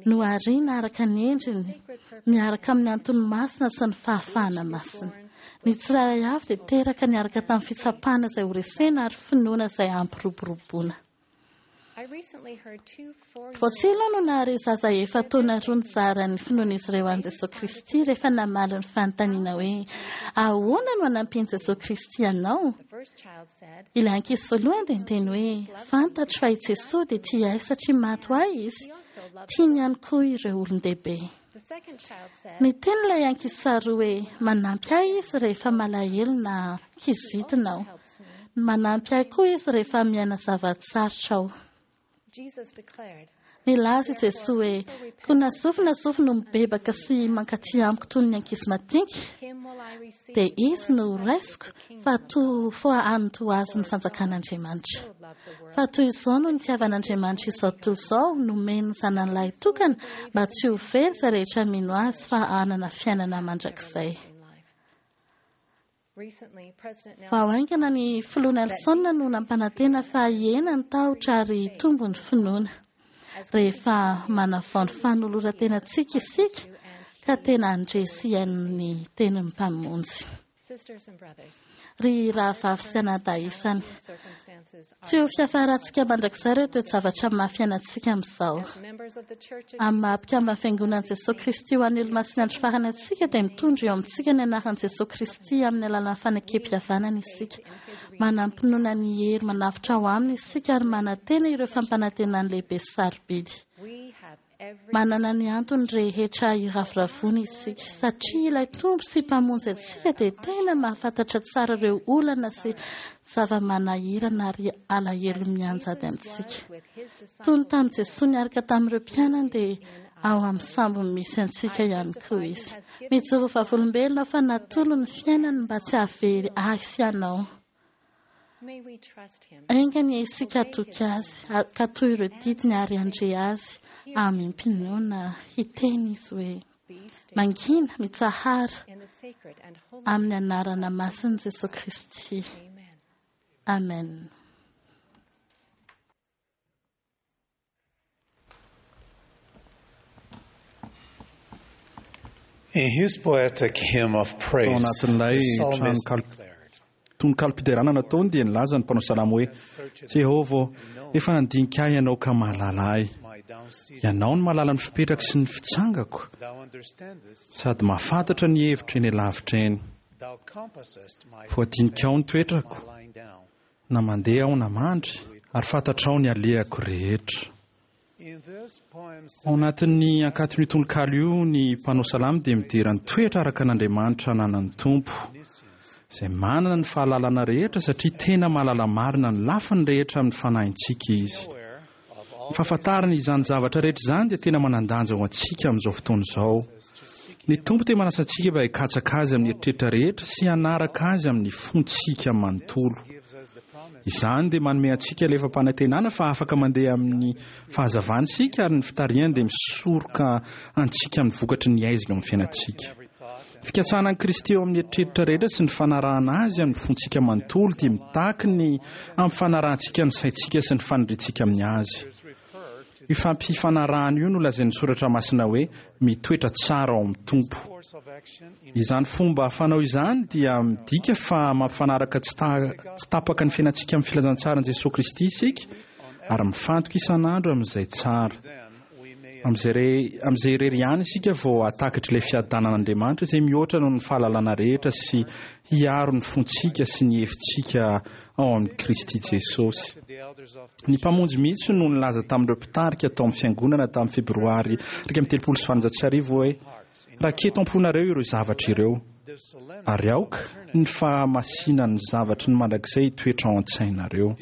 I: Nohariana araka ny endriny, miaraka amin'ny antony masina sy ny fahafahana masina. Ny tsirairay avy dia teraka niaraka tamin'ny fitsapana izay horesena ary finoana izay hampiroboroboana. Vao tsy ela aho no nahare zaza efa-taona roa nizara ny finoan'izy ireo an'i Jesoa Kristy rehefa namaly ny fanontaniana hoe, Ahoana no hanampian'i Jesoa Kristy anao? Ilay ankizy voalohany dia niteny hoe, Fantatro fa i Jesoa dia tia ahy satria maty ho ahy Izy. Tiany ihany koa ireo olon-dehibe. Niteny ilay ankizy faharoa hoe, Manampy ahy Izy rehefa malahelo na kizitina aho. Manampy ahy koa Izy rehefa miaina zava-tsarotra aho. Nilaza i Jesoa hoe: "Koa na zovy na zovy no mibebaka sy mankaty amiko toy ny ankizy madinika, dia izy no raisiko fa to fa anto azy ny fanjakan'Andriamanitra. Fa toy izao no nitiavan'Andriamanitra izao tontolo izao, nomeny ny zanany lahy tokana mba tsy ho very izay rehetra mino azy fa hanana fiainana mandrakizay." Vao haingana ny filoha Nelson no nampanantena fa hihena ny tahotra ary hitombo ny finoana. Rehefa manavao ny fanoloran-tenantsika isika ka tena handre sy hihaino ny tenin'ny Mpamonjy. Ry rahavavy sy anadahy isany, tsy ho fiafarantsika mandrakizay ireo toe-javatra mafy iainantsika amin'izao. Amin'ny maha mpikamban'ny Fiangonan'i Jesoa Kristy ho an'ny Olomasin'ny Andro Farany antsika dia mitondra eo amintsika ny anaran'i Jesoa Kristy amin'ny alalan'ny fanekem-pihavanana isika. Manam-pinoana ny hery manavotra ao aminy isika ary manantena ireo fampanantenany lehibe sy sarobidy. Manana ny antony rehetra hiravoravoana isika, satria ilay Tompo sy Mpamonjy antsika dia tena mahafantatra tsara ireo olana sy zava-manahirana ary alahelo mianjady amintsika. Toy ny tamin'i Jesoa niaraka tamin'ireo mpianany dia ao amin'ny sambo misy antsika ihany koa Izy. Mijoro vavolombelona aho fa natolony ny fiainany mba tsy hahavery ahy sy ianao. Enga anie isika hatoky Azy, hankatò ireo didiny ary handre Azy amim-pinoana hiteny Izy hoe: "Mangina, mitsahara, amin'ny anarana masin'i Jesoa Kristy. Amen.
J: In his poetic hymn of
K: Tao
J: praise,
K: anatin'ilay
J: the psalmist
K: tranonkalo tononkalom-piderana nataony dia nilaza ny mpanao salamo hoe: "Jehovah ô, efa nandinika ahy ianao ka mahalala ahy. Ianao no mahalala ny fipetrako sy ny fitsangako,
J: Thou understandest,
K: sady mahafantatra ny hevitro eny alavitra eny.
J: thou compassest my
K: Voadinikao ny toetrako,
J: lying down.
K: na mandeha aho na mandry, ary fantatrao ny alehako rehetra."
J: In this poem,
K: Ao anatin'ny ankaton'io tononkalo io, ny mpanao salamo dia midera ny toetra araka an'Andriamanitra ananan'ny Tompo, izay manana ny fahalalana rehetra satria tena mahalala marina ny lafiny rehetra amin'ny fanahintsika Izy. Ny fahafantarana izany zavatra rehetra izany dia tena manan-danja ho antsika amin'izao fotoana izao. Ny Tompo dia manasa antsika mba hikatsaka Azy amin'ny eritreritra rehetra sy hanaraka Azy amin'ny fontsika manontolo. Izany dia manome antsika ilay fampanantenana fa afaka mandeha amin'ny fahazavana isika ary ny fitarihany dia misoroka antsika amin'ny vokatry ny haizina eo amin'ny fiainantsika. Fikatsahana an'i Kristy eo amin'ny eritreritra rehetra sy ny fanarahana Azy amin'ny fontsika manontolo dia mitaky ny amin'ny fanarahantsika ny saintsika sy ny faniriantsika amin'ny Azy. Io fampifanarahana io no lazain'ny Soratra Masina hoe mitoetra tsara ao amin'ny Tompo. Izany fomba fanao izany dia midika fa mampifanaraka tsy ta- tsy tapaka ny fiainantsika amin'ny filazantsaran'i Jesoa Kristy isika ary mifantoka isan'andro amin'izay tsara. Amin'izay re- amin'izay irery ihany isika vao hahatakatra ilay fiadanan'Andriamanitra izay mihoatra noho ny fahalalana rehetra sy hiaro ny fontsika sy ny hevitsika ao amin'i Kristy Jesosy. Ny Mpamonjy mihitsy no nilaza tamin'ireo mpitarika tao amin'ny fiangonana tamin'ny febroary iraika amby telopolo sy valonjato sy arivo hoe: "Raketo am-ponareo ireo zavatra ireo, ary aoka ny fahamasinan'ny zavatry ny mandrakizay hitoetra ao an-tsainareo."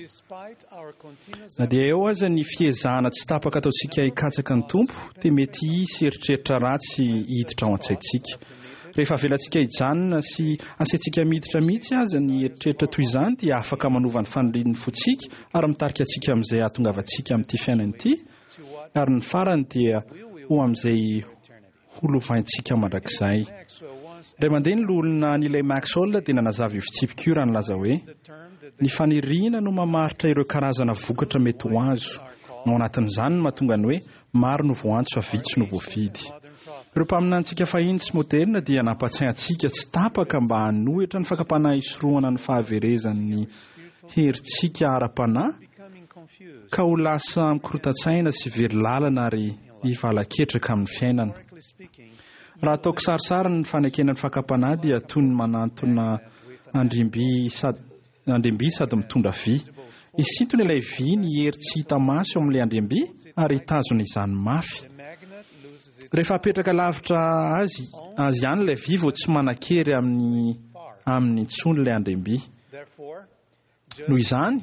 K: Na dia eo aza ny fiezahana tsy tapaka ataontsika hikatsaka ny Tompo, dia mety hisy eritreritra ratsy hiditra ao an-tsaintsika. Rehefa avelantsika hijanona sy asaintsika miditra mihitsy aza ny eritreritra toy izany dia afaka manova ny fanirian'ny fontsika ary mitarika antsika amin'izay hahatongavantsika amin'ity fiainana ity, ary ny farany dia ho amin'izay ho lovaintsika mandrakizay. Indray mandeha ny loholona Neelay Maxwell dia nanazava io fitsipika io raha nilaza hoe: "Ny faniriana no mamaritra ireo karazana vokatra mety ho azo. Ao anatin'izany no mahatonga ny hoe maro no voantso fa vitsy no voafidy. Ireo mpaminanintsika fahiny sy moderina dia nampatsiahy antsika tsy tapaka mba hanohitra ny fakam-panahy hisorohana ny fahaverezan'ny herintsika ara-panahy ka ho lasa mikorotan-tsaina sy very lalana ary hivalaketraka amin'ny fiainana. Raha atao kisarisary ny fanekena ny fakam-panahy dia toy ny manantona andrimby sady andriamby sady mitondra vy. Hisintona ilay vy ny hery tsy hita maso eo amin'ilay andriamby ary hitazona izany mafy. Rehefa apetraka lavitra azy azy ihany ilay vy vao tsy manan-kery amin'ny aminy intsony ilay andriamby. Noho izany,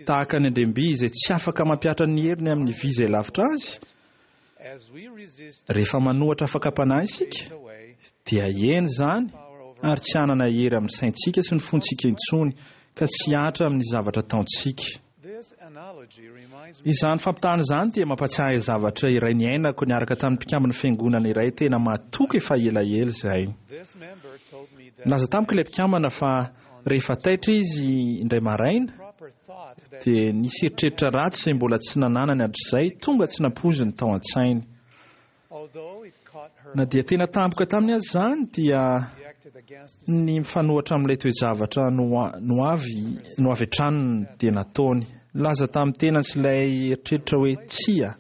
K: tahaka ny andriamby izay tsy afaka mampihatra ny heriny amin'ny vy izay lavitra azy, Rehefa manohitra fakam-panahy isika, dia hihena izany ary tsy hanana hery amin'ny saintsika sy ny fontsika intsony, ka tsy hihatra amin'ny zavatra ataontsika. Izany fampitahana izany dia mampatsiahy zavatra iray niainako niaraka tamin'ny mpikamban'ny fiangonana iray tena mahatoky efa elaela izay. Nilaza tamiko ilay mpikambana fa rehefa taitra izy indray maraina, dia nisy eritreritra ratsy izay mbola tsy nananany hatrizay tonga tsy nampoiziny tao an-tsainy. Na dia tena tampoka taminy aza izany, dia ny mifanohitra amin'ilay toe-javatra no no avy no avy hatrany dia nataony. Nilaza tamin'ny tenany sy ilay eritreritra hoe tsia,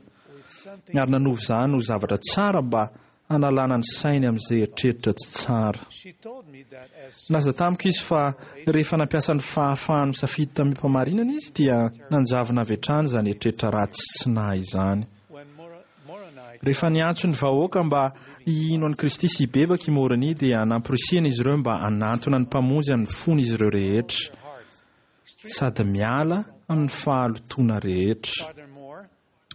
K: ary nanova izany ho zavatra tsara mba hanalana ny sainy amin'izay eritreritra tsy tsara. Nilaza tamiko izy fa rehefa nampiasa ny fahafahany misafidy tamim-pahamarinana izy, dia nanjavona avy hatrany izany eritreritra ratsy tsy nahy izany. Rehefa niantso ny vahoaka mba hino an'i Kristy sy hibebaka i Môrônia, dia namporisihana izy ireo mba hanantona ny Mpamonjy amin'ny fon'izy ireo rehetra, sady miala amin'ny fahalotoana rehetra.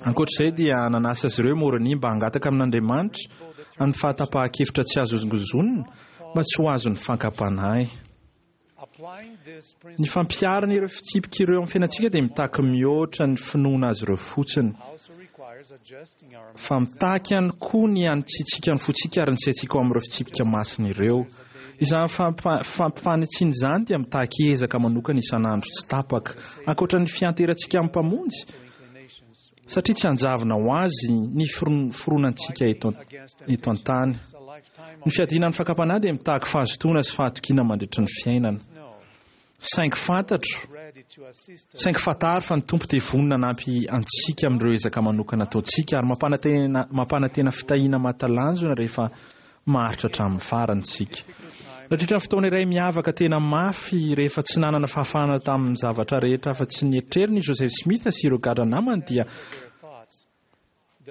K: Ankoatra izay, dia nanasa azy ireo i Môrônia mba hangataka amin'Andriamanitra amin'ny fahatapahan-kevitra tsy azo hozongozonina mba tsy ho azon'ny fankam-panahy. Ny fampiharana ireo fitsipika ireo amin'ny fiainantsika dia mitaky mihoatra ny finoana azy ireo fotsiny, fa mitaky ihany koa ny hanitsiantsika ny fontsika ary ny saintsika ao amin'ireo fitsipika masina ireo. Izany fampifanitsiana izany dia mitaky ezaka manokana isan'andro tsy tapaka, ankoatra ny fianterantsika amin'ny Mpamonjy, satria tsy hanjavona ho azy ny fironantsika eto eto an-tany. Ny fiadiana ny fakam-panahy dia mitaky fahazotoana sy fahatokiana mandritra ny fiainana. Saingy fantatro, saingy fantaro fa ny Tompo dia vonona hanampy antsika amin'ireo ezaka manokana ataontsika ary mampanantena mampanantena fitahiana mahatalanjona rehefa maharitra hatramin'ny farany isika. Nandritra ny fotoana iray miavaka tena mafy, rehefa tsy nanana fahafahana tamin'ny zavatra rehetra afa-tsy ny eritreriny i Joseph Smith sy ireo gadra namany, dia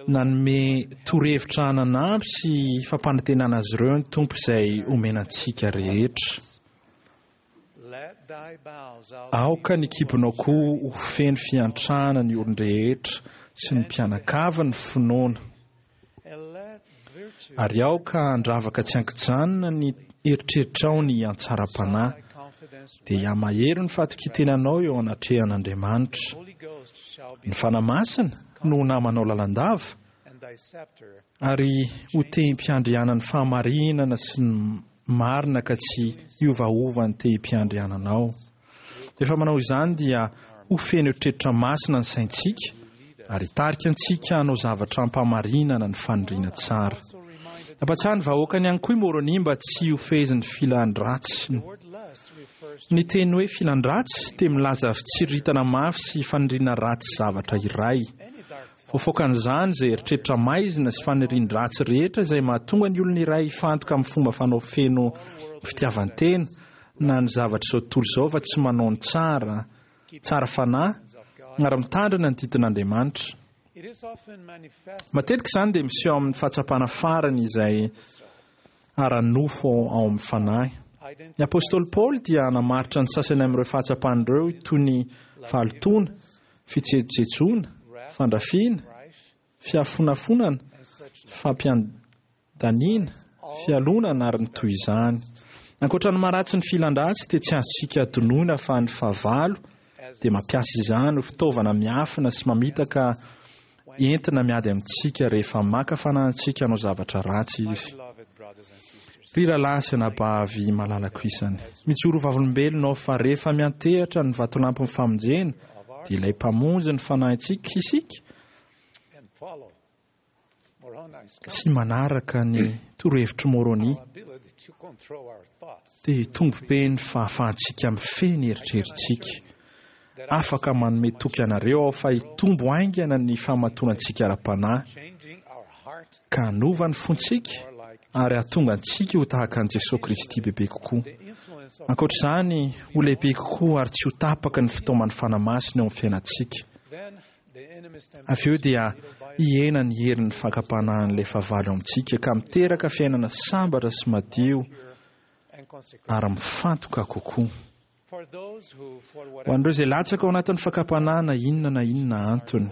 K: nanome torohevitra nanampy sy fampanantenana azy ireo ny Tompo izay omena antsika rehetra. Aoka ny kibonao koa ho feno fiantrana ny olon-drehetra sy ny mpianakavy ny finoana. Ary aoka handravaka tsy an-kijanona ny eritreritrao ny hatsaram-panahy, dia hihamahery ny fahatokian-tenanao eo anatrehan'Andriamanitra. Ny Fanahy Masina no ho namanao lalandava, ary ho tehim-piandrianan'ny fahamarinana sy ny marina ka tsy hiovaova ny tehim-piandriananao. Rehefa manao izany dia ho feno eritreritra masina ny saintsika ary hitarika antsika hanao zavatra ampahamarinana ny faniriana tsara. Nampatsiahy ny vahoakany ihany koa i Môrônia mba tsy ho fehezin'ny filan-dratsy. Ny teny hoe filan-dratsy dia milaza fitsiriritana mafy sy faniriana ratsy zavatra iray. Voafaokan'izany izay eritreritra maizina sy fanirian-dratsy rehetra izay mahatonga ny olona iray hifantoka amin'ny fomba fanao feno fitiavan-tena na ny zavatr'izao tontolo izao fa tsy manao ny tsara, tsara fanahy ary mitandrina ny didin'Andriamanitra. Matetika izany dia miseho amin'ny fahatsapana farany izay ara-nofo ao amin'ny fanahy. Ny apostoly Paoly dia namaritra ny sasany amin'ireo fahatsapana ireo toy ny fahalotoana, fijejojejoana, fandrafiana, fiafonafonana, fampiandaniana, fialonana ary ny toy izany. Ankoatra ny maharatsy ny filan-dratsy dia tsy azontsika adinoina fa ny fahavalo dia mampiasa izany ho fitaovana miafina sy mamitaka entina miady amintsika rehefa maka fanahy antsika hanao zavatra ratsy izy. Ry rahalahy sy anabavy malalako isany, mijoro ho vavolombelona aho fa rehefa miantehatra ny vatolampin'ny famonjena, dia ilay Mpamonjy ny fanahintsika isika, sy manaraka ny torohevitr'i Môrônia, dia hitombo be ny fahafahantsika mifehy ny eritreritsika. Afaka manome toky anareo aho fa hitombo haingana ny fahamatorantsika ara-panahy, ka hanova ny fontsika ary hahatonga antsika ho tahaka an'i Jesoa Kristy bebe kokoa. Ankoatra izany, ho lehibe kokoa ary tsy ho tapaka ny fitaoman'ny Fanahy Masina eo amin'ny fiainantsika. Avy eo dia hihena ny herin'ny fakam-panahin'ilay fahavalo eo amintsika ka miteraka fiainana sambatra sy madio ary mifantoka kokoa. Ho an'ireo izay latsaka ao anatin'ny fakam-panahy na inona na inona antony,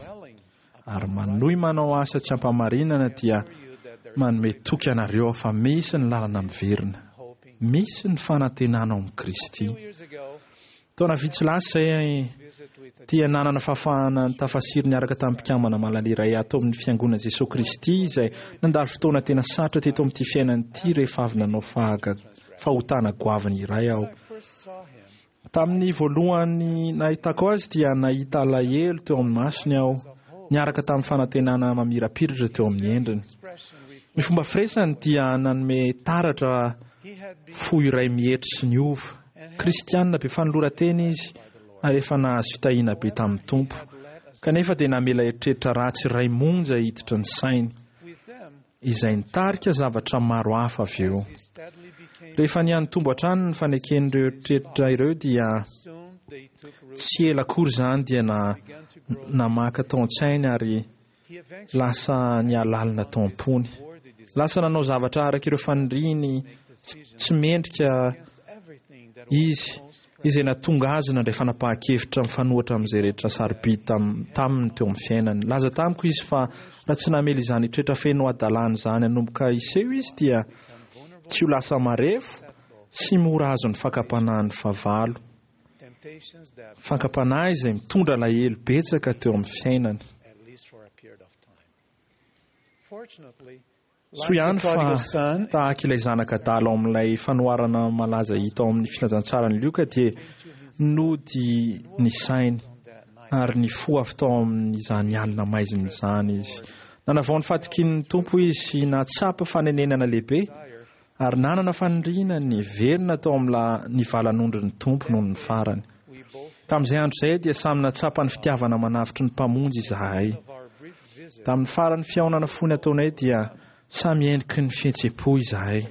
K: ary manohy manao asa tsy ampamarinana, dia manome toky anareo aho fa misy ny lalana miverina, misy ny fanantenana ao amin'i Kristy. Taona vitsy lasa izay dia nanana fahafahana nitafasiry niaraka tamin'ny mpikambana malala iray ato amin'ny fiangonana Jesosy Kristy izay nandalo fotoana tena sarotra teto amin'ity fiainana ity rehefa avy nanao fahaga fahotana goavana iray aho. Tamin'ny voalohany nahitako azy dia nahita alahelo teo amin'ny masony aho, niaraka tamin'ny fanantenana mamirapiratra teo amin'ny endriny. Ny fomba firesany dia nanome taratra fo iray mietry sy niova. Kristianina be fanoloran-tena izy ary efa nahazo fitahiana be tamin'ny Tompo, kanefa dia namela eritreritra ratsy iray monja hiditra ny sainy, izay nitarika zavatra maro hafa avy eo. Rehefa nihanitombo hatrany ny faneken'ireo eritreritra ireo dia tsy ela akory izany dia na namaka tao an-tsainy ary lasa nihalalina tao am-pony. Lasa nanao zavatra araka ireo faniriany tsy mendrika izy, izay nahatonga azy nandray fanapahan-kevitra mifanohitra amin'izay rehetra sarobidy taminy teo amin'ny fiainany. Laza tamiko izy fa raha tsy namela izany toetra feno hadalana izany hanomboka hiseho izy dia tsy ho lasa marefo sy mora azon'ny fakam-panahin'ny fahavalo. Fakam-panahy izay mitondra alahelo betsaka teo amin'ny fiainany. Soa ihany fa tahaka ilay zanaka adala ao amin'ilay fanoharana malaza hita ao amin'ny filazantsaran'i Lioka dia nody ny sainy ary nifoha avy tao amin'izany alina maizina izany izy. Nanavao ny fahatokian'ny Tompo izy sy nahatsapa fanenenana lehibe ary nanana faniriana ny hiverina tao amin'ny valan'ondrin'ny Tompo noho ny farany. Tamin'izay andro izay dia samy nahatsapa ny fitiavana manavotry ny Mpamonjy izahay. Tamin'ny faran'ny fihaonana fony ataonay dia samy endriky ny fihetseham-po izahay.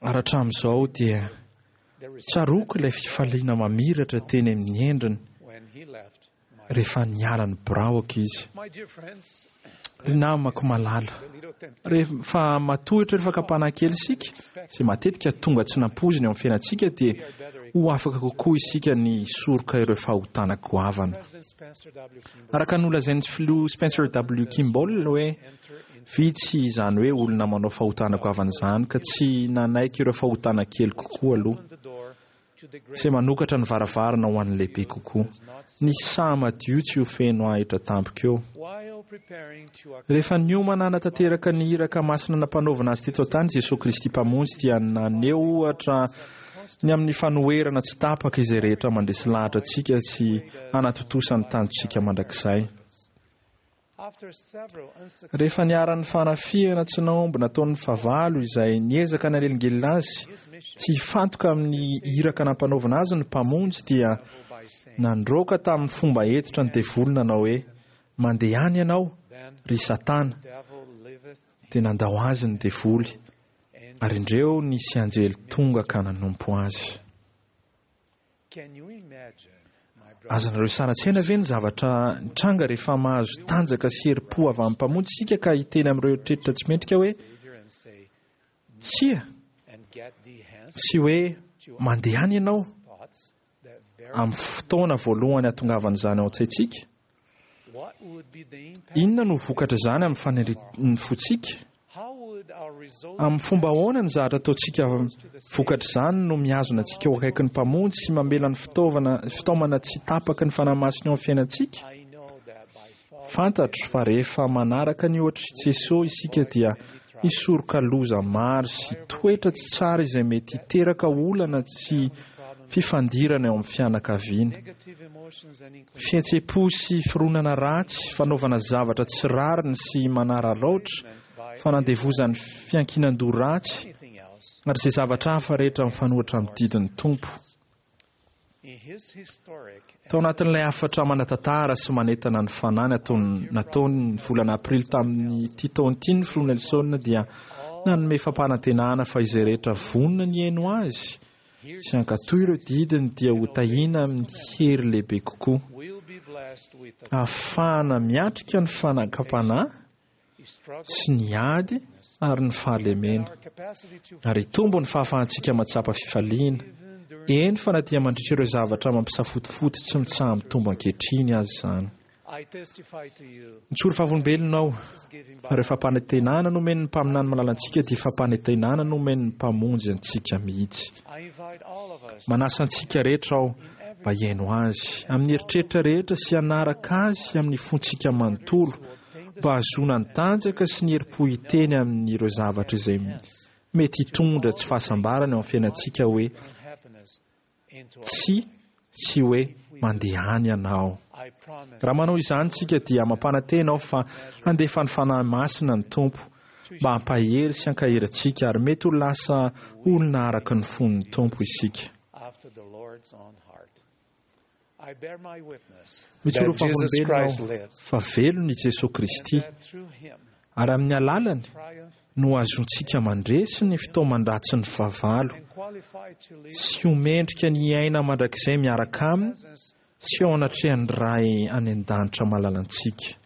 K: Ary hatramin'izao dia tsaroako ilay fifaliana mamiratra teny amin'ny endriny rehefa niala ny biraoko izy. Ry namako malala, rehefa matohitra ireo fakam-panahy kely isika, izay matetika tonga tsy nampoizina eo amin'ny fiainantsika, dia ho afaka kokoa isika ny hisoroka ireo fahotana goavana. Araka ny nolazain'ny filoha Spencer W. Kimball hoe vitsy izany hoe olona manao fahotana goavana izany ka tsy nanaiky ireo fahotana kely kokoa aloha, izay manokatra ny varavarana ho an'ny lehibe kokoa. Ny saha madio tsy ho feno ahitra tampoka eo. Rehefa niomana hanatanteraka ny iraka masina nampanaovina azy teto an-tany, Jesosy Kristy Mpamonjy dia naneho ohatra ny amin'ny fanoherana tsy tapaka izay rehetra mandresy lahatra antsika sy hanatontosa ny tanjontsika mandrakizay. Rehefa niharan'ny fanafihana tsy nahomby nataon'ny fahavalo izay niezaka nanelingelina azy tsy hifantoka amin'ny iraka nampanaovina azy ny Mpamonjy dia nandroaka tamin'ny fomba hentitra ny devoly nanao hoe, Mandeha any ianao, ry Satana. Dia nandao azy ny devoly, ary indreo nisy anjely tonga ka nanompo azy. Azonareo sary an-tsaina ve ny zavatra nitranga rehefa mahazo tanjaka sy herim-po avy amin'ny Mpamonjy isika ka hiteny amin'ireo eritreritra tsy mendrika hoe tsia sy hoe mandeha any ianao amin'ny fotoana voalohany hahatongavan'izany ao an-tsaintsika? Inona no vokatr'izany amin'ny fanirian'ny fontsika? Amin'ny fomba ahoana ny zavatra ataontsika vokatr'izany no mihazona antsika ho akaikin'ny Mpamonjy sy mamela ny fitaovana fitaomana tsy tapaky ny Fanahy Masina eo amin'ny fiainantsika? Fantatro fa rehefa manaraka ny ohatr'i Jesoa isika dia hisoroka loza maro sy toetra tsy tsara izay mety hiteraka olana sy fifandirana eo amin'ny fianakaviana. Fihetseham-po sy fironana ratsy, fanaovana zavatra tsy rariny sy manararaotra, fanandevozan'ny fiankinan-doha ratsy, ary izay zavatra hafa rehetra mifanohitra amin'ny didin'ny Tompo. Tao anatin'ilay hafatra manan-tantara sy manentana ny fanahy nataony nataony ny volana aprily tamin'ity taona ity ny filoha Nelson dia nanome fampanantenana fa izay rehetra vonona ny hihaino azy sy hankatò ireo didiny dia ho tahiana amin'ny hery lehibe kokoa ahafahana miatrika ny fanakam-panahy sy ny ady ary ny fahalemena, ary hitombo ny fahafahantsika mahatsapa fifaliana, Eny fa na dia mandritra ireo zavatra mampisafotofoto tsy mitsaha-mitombo ankehitriny aza izany. Nitsoro vavolombelona aho fa ireo fampanantenana nomen'ny mpaminany malala antsika dia fampanantenana nomen'ny Mpamonjy antsika mihitsy. Manasa antsika rehetra aho mba hihaino azy amin'ny eritreritra rehetra sy hanaraka azy amin'ny fontsika manontolo mba hahazoana ny tanjaka sy ny herim-po hiteny amin'ireo zavatra izay mety hitondra tsy fahasambarana eo amin'ny fiainantsika hoe tsia sy hoe mandeha any ianao. Raha manao izany isika dia mampanantena aho fa handefa ny Fanahy Masina ny Tompo mba hampahery sy hankahery antsika ary mety ho lasa olona araka ny fon'ny Tompo isika. Mijoro
J: That Jesus
K: vavolombelona
J: Christ
K: aho
J: lives,
K: fa velona i Jesoa Kristy ary amin'ny alalany no azontsika mandresy ny fitaoman-dratsin'ny fahavalo sy ho mendrika ny hiaina mandrakizay miaraka aminy sy ao anatrehan'ny Ray any an-danitra malalantsika.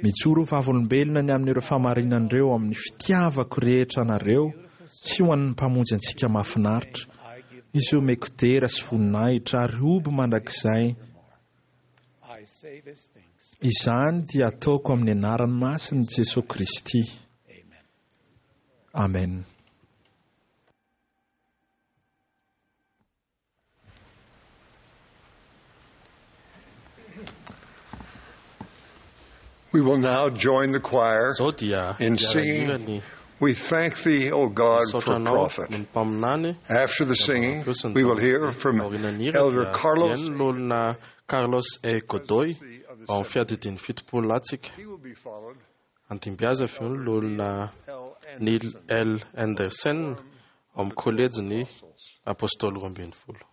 K: Mijoro ho vavolombelona ny amin'ireo fahamarinan'ireo amin'ny fitiavako rehetra anareo sy ho an'ny Mpamonjy antsika mahafinaritra, izay omeko dera sy voninahitra ary hoby mandrakizay. Izany dia ataoko amin'ny anarany masin'i Jesoa Kristy. Amen.
C: We will now join the choir
D: Izao dia
C: in
D: hiara-hira
C: singing
D: ny
C: We Thank Thee, O God,
D: misaotra
C: for
D: anao
C: Prophet.
D: ny mpaminany.
C: After the singing, we will hear from
D: Aorian'ny hira
C: Elder
D: dia
C: Carlos.
D: hihaino ny olona Carlos E. Godoy ao amin'ny fiadidian'ny fitopolo latsika. Andimbiaza avy eo ny olona Neil L. Andersen ao amin'ny kolejin'ny Apôstôly roa ambin'ny folo.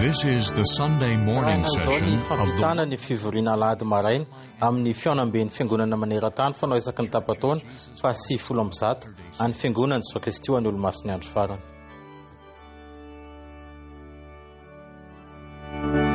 A: This is the Sunday morning
B: Arahina izao
A: session
B: ny
A: of the
B: fampitana ny fivoriana alahady maraina amin'ny fihaonamben'ny fiangonana maneran-tany fanao isaky ny tapa-taona fa sivifolo amby zato any fiangonana Jesoa Kristy ho an'ny olomasin'ny andro farany.
L: Thank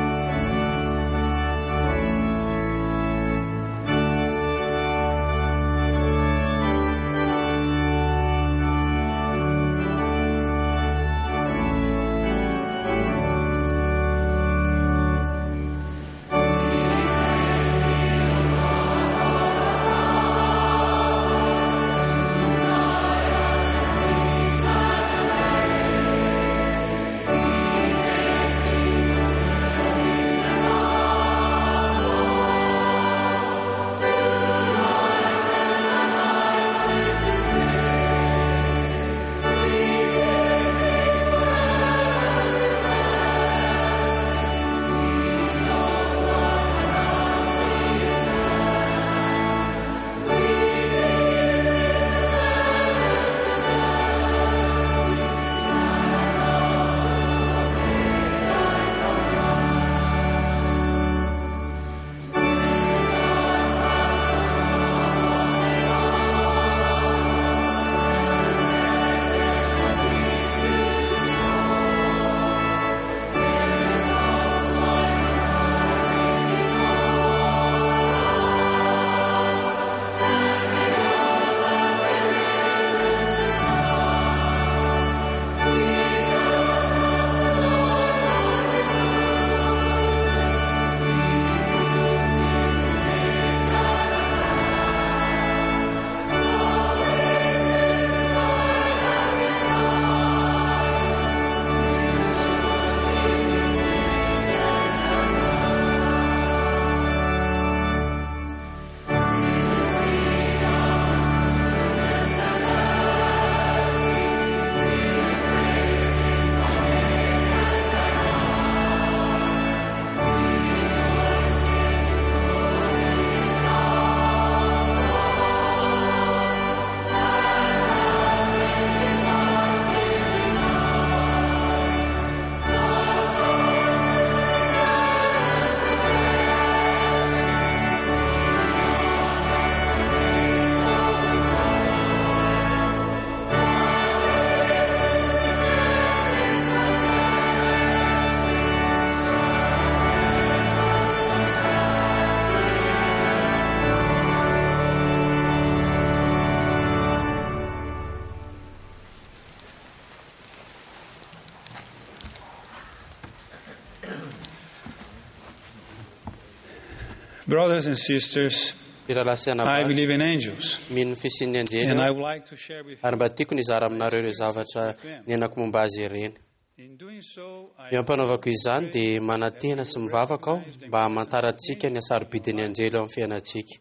J: Brothers and sisters,
F: Ry rahalahy sy
J: I
F: anabavy,
J: believe in angels,
F: mino ny fisian'ny anjely
J: and I
F: aho,
J: would like to share with
F: ary mba tiako ny hizara aminareo ireo zavatra niainako momba azy ireny.
J: In doing so, I
F: Eo am-panaovako izany dia manantena sy mivavaka aho mba hamantarantsika ny hasarobidin'ny anjely eo amin'ny fiainantsika.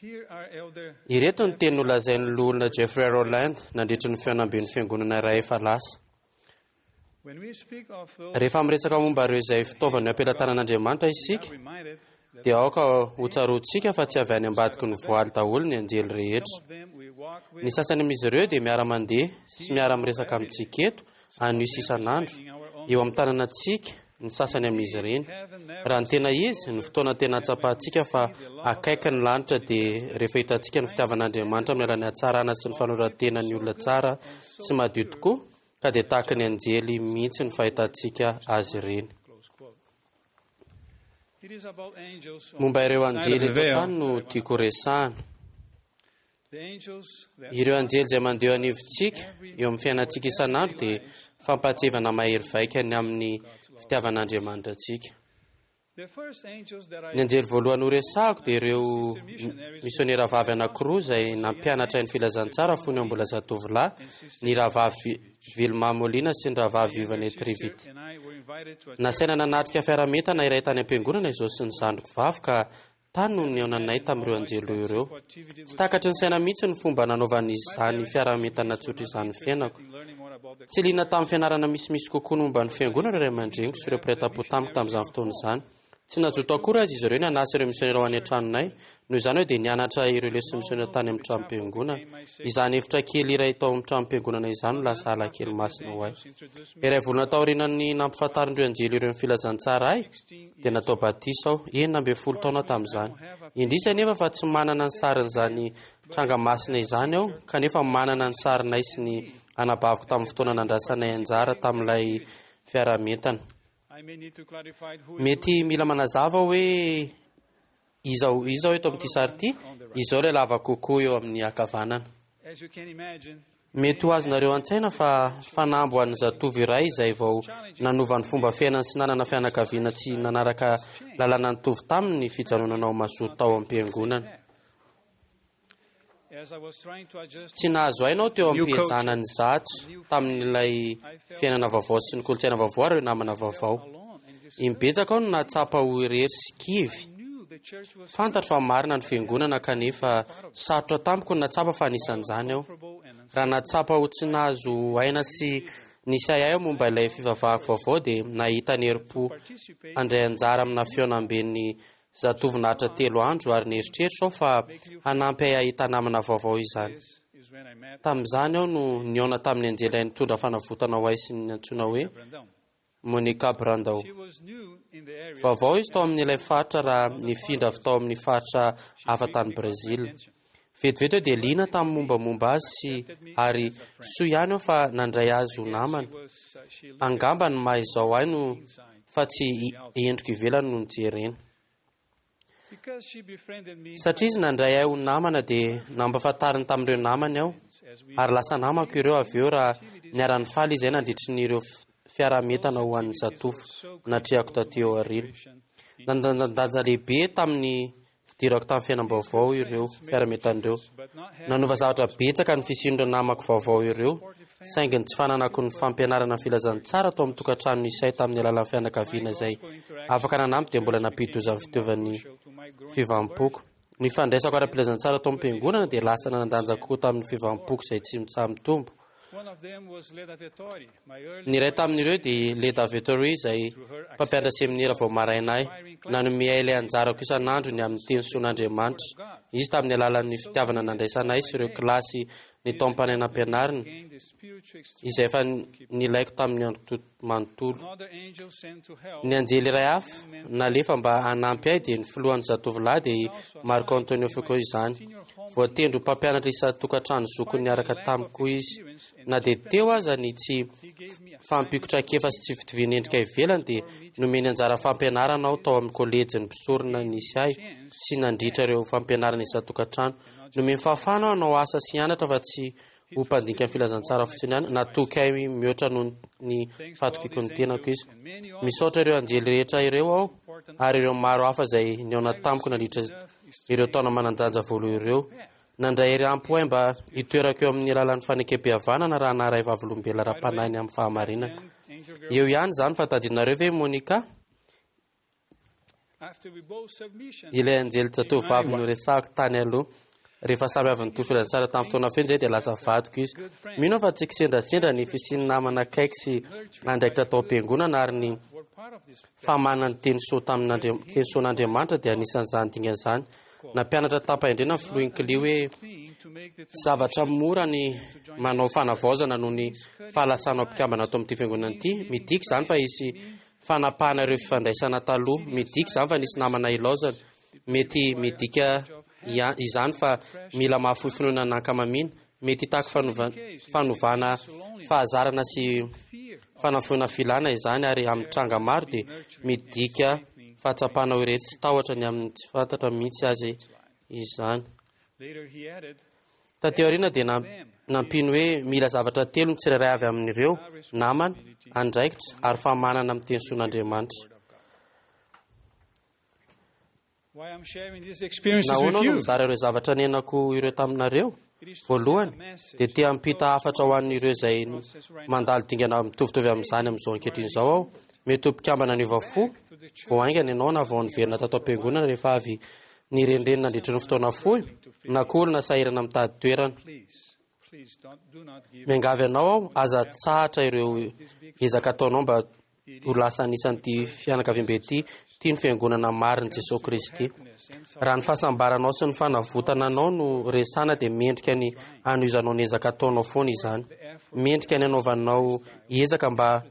J: here are elder
F: Ireto ny teny nolazain'ny loholona Jeffrey Rowland nandritra ny fihaonamben'ny fiangonana iray efa lasa.
J: When we speak of those
F: Rehefa miresaka momba ireo izay fitaovana eo am-pelatanan'Andriamanitra isika,
J: reminded that
F: dia aoka hotsaroantsika fa tsy avy any ambadiky ny voaly daholo ny anjely rehetra.
J: some of them we walk with
F: Ny sasany amin'izy ireo dia miara-mandeha sy miara-miresaka amintsika eto anio sy isan'andro eo amin'ny tanànantsika ny sasany amin'izy ireny. Raha ny tena izy, ny fotoana tena hatsapantsika fa akaiky ny lanitra dia rehefa hitantsika ny fitiavan'Andriamanitra amin'ny alalan'ny hatsarana sy ny fanoratena ny olona tsara sy madio tokoa, ka dia tahaka ny anjely mihitsy ny fahitantsika azy ireny.
J: It is about angels on
F: Momba ireo
J: the side
F: anjely
J: of the
F: eto
J: veil.
F: an-tany no tiako resahana.
J: The angels that
F: Ireo anjely izay mandeha anivontsika eo amin'ny fiainantsika isan'andro dia fampahatsiahivana mahery vaika ny amin'ny fitiavan'Andriamanitra antsika.
J: the first angels that I
F: Ny anjely voalohany horesahako dia ireo misionera vavy anankiroa izay nampianatra ny filazantsara fony eo mbola zatovolahy, ny rahavavy Vilma Molina sy ny rahavavy Yvonne Trivit.
J: and I were invited to
F: Nasaina nanatrika fiaraha-mientana iray tany am-piangonana izao sy ny zandriko vavy ka tany no nihaonanay tamin'ireo anjely roa ireo. Tsy takatry ny saina mihitsy ny fomba nanaovan'izany fiaraha-mientana tsotra izany ny fiainako.
J: learning more about the
F: Tsy liana tamin'ny fianarana misimisy kokoa ny momba ny fiangonana ireo ray aman-dreniko sy ireo mpiray tampo tamiko tamin'izany fotoana izany. Tsy nazoto akory azy izy ireo ny hanasa ireo misionera ho any an-tranonay. Noho izany hoe dia nianatra ireo leson'ny misionera tany amin'ny tranom-piangonana. Izany efitra kely iray tao amin'ny tranom-piangonana izany no lasa ala kely masina ho ahy. Iray volana taorian'ny nampifantarin'ireo anjely ireo ny filazantsara ahy, dia natao batisa aho, enina ambin'ny folo taona tamin'izany. Indrisy anefa fa tsy manana ny sarin'izany tranga masina izany aho, kanefa manana ny sarinay sy ny anabaviko tamin'ny fotoana nandrasanay anjara tamin'ilay fiaraha-mientana.
J: I may need to clarify who
F: Mety mila manazava hoe iza iza aho eto amin'ity sary ity, izao ilay lava kokoa eo amin'ny ankavanana.
J: as you can imagine
F: Mety ho azonareo an-tsaina fa fanamby ho an'ny zatovo iray izay vao nanova ny fomba fiainany sy nanana fianakaviana tsy nanaraka lalana nitovy taminy ny fijanonana ho mazoto tao am-piangonana.
J: as I was trying to adjust
F: Tsy nahazo aina aho teo am-piezahana ny zatra tamin'ilay fiainana vaovao sy ny kolontsaina vaovao ary ireo namana vaovao. Imbetsaka aho no nahatsapa ho irery sy kivy.
J: knew the church was
F: Fantatro fa marina ny fiangonana kanefa sarotra tamiko ny nahatsapa fa anisan'izany aho. Raha nahatsapa ho tsy nahazo aina sy nisy ahiahy aho momba ilay fivavahako vaovao dia nahita ny herim-po handray anjara amina fihaonamben'ny zatovo naharitra telo andro ary nieritreritra aho fa hanampy ahy hahita namana vaovao izany.
J: is when I met
F: Tamin'izany aho no nihaona tamin'ny anjely iray nitondra fanavotana ho ahy sy ny antsoina hoe
J: Brandão.
F: Monica Brandao.
J: She was new in the area
F: Vaovao izy tao amin'ilay faritra raha nifindra avy tao amin'ny faritra hafa tany Brazil. Vetivety aho dia liana tamin'ny mombamomba azy sy ary soa ihany aho fa nandray azy ho namana.
J: was uh, she looked
F: Angamba ny maha izao ahy no fa tsy i- endriko ivelany no nijerena.
J: because she befriended me
F: Satria izy nandray ahy ho namana dia nampahafantariny tamin'ireo namany aho
J: as we
F: ary lasa namako ireo avy eo raha niara-nifaly izahay nandritry ny ireo f- fiaraha-mientana ho an'ny zatovo natrehako taty aoriana. Nandanjandanja lehibe tamin'ny fidirako tamin'ny fiainam-baovao ireo fiaraha-mientana ireo. Nanova zavatra betsaka ny fisian'ireo namako vaovao ireo, saingy ny tsy fananako ny fampianarana ny filazantsara tao amin'ny tokantrano nisy ahy tamin'ny alalan'ny fianakaviana izay afaka nanampy dia mbola nampidi-doza ny fitaovan'ny fivavampoko. Ny fandraisako ara-pilazantsara tao amin'ny fiangonana dia lasa nanan-danja kokoa tamin'ny fivavampoko izay tsy mitsaha-mitombo.
J: one of them was Leda Vettori, my early
F: Ny iray tamin'ireo dia Leda Vettori izay mpampianatra seminera vao maraina ahy. Nanome ahy ilay anjarako isan'andro ny amin'ny teny soan'Andriamanitra. Izy tamin'ny alalan'ny fitiavana nandraisana ahy sy ireo kilasy ny taom-panahy nampianarina
J: gained the spiritual
F: izay efa nilaiko tamin'ny andro to- manontolo.
J: another angel sent to help
F: Ny anjely iray hafa nalefa mba hanampy ahy dia ny filohan'ny zatovolahy dia i Marco Antonio Fico izany. Voatendry ho mpampianatra isan-tokantrano zokiny niaraka tamiko izy. Na dia teo aza ny tsy fahampiako traikefa sy tsy fitovian'ny endrika ivelany dia nomeny anjara fampianarana aho tao amin'ny kolejin'ny mpisorona nisy ahy sy nandritra ireo fampianarana isan-tokantrano. Nomeny fahafahana aho hanao asa sy hianatra fa tsy ho mpandinika ny filazantsara fotsiny ihany. Natoky ahy mihoatra noho ny fahatokiako ny tenako izy. Misaotra ireo anjely rehetra ireo aho ary ireo maro hafa izay nihaona tamiko nandritra ireo taona manan-danja voalohany ireo. Nandray hery ampy ho ahy mba hitoerako eo amin'ny lalan'ny fanekem-pihavanana raha naharay vavolombelona ara-panahy ny amin'ny fahamarinana. Eo ihany izany fa tadidinareo ve Monica? Ilay anjely zatovovavy noresahako tany aloha. Rehefa samy avy nitory filazantsara tamin'ny fotoana feno izay dia lasa vadiko izy. Mino aho fa tsy kisendrasendra ny fisian'ny namana akaiky sy andraikitra tao am-piangonana ary ny famanana ny teny soa tamin'Andria- teny soan'Andriamanitra dia anisan'izany dingana izany. Nampianatra tamim-pahendrena ny filoha Hinckley hoe zavatra mora ny manao fanavaozana noho ny fahalasanao mpikambana ato amin'ity fiangonana ity. Midika izany fa hisy fanapahana ireo fifandraisana taloha. Midika izany fa nisy namana ilaozana. Mety midika izany fa mila mahafoy finoana nankamamiana. Mety hitaky fanova- fanovana fahazarana sy fanafoana filana izany, ary amin'ny tranga maro dia midika fahatsapana ho irery sy tahotra ny amin'ny tsy fantatra mihitsy azy izany. Taty aoriana dia nampiany hoe mila zavatra telo ny tsirairay avy amin'ireo: namana, andraikitra ary famanana amin'ny teny soan'Andriamanitra. Nahoana aho no mizara ireo zavatra niainako ireo taminareo? Voalohany, dia te hampita hafatra ho an'ireo izay mandalo dingana mitovitovy amin'izany amin'izao ankehitriny izao aho. Mety ho mpikambana niova fo vao haingana ianao na vao niverina tato am-piangonana rehefa avy nirenireny nandritra ny fotoana fohy, na koa olona sahirana mitady toerana. Miangavy anao aho, aza tsahatra ireo ezaka ataonao mba ho lasa anisan'ity fianakaviambe ity, ity ny fiangonana marin'i Jesosy Kristy. Raha ny fahasambaranao sy ny fanavotana anao no resana dia mendrika ny hanohizanao ny ezaka ataonao foana izany. Mendrika ny hanaovanao ezaka mba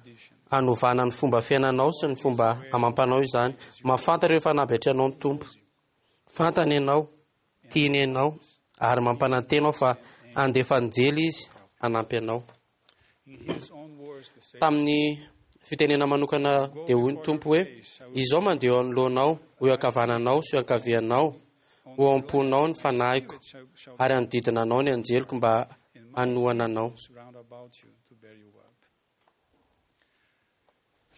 F: hanovana ny fomba fiainanao sy ny fomba amam-panao izany. Mahafantatra ireo fanamby atrehanao ny Tompo. Fantany ianao, tiany ianao, ary mampanantena aho fa handefa anjely izy hanampy anao. Tamin'ny fitenena manokana dia hoy ny Tompo hoe: izao mandeha eo anoloanao, ho eo ankavananao sy eo ankavianao, ho ao am-ponao ny fanahiko, ary hanodidina anao ny anjeliko mba hanohana anao.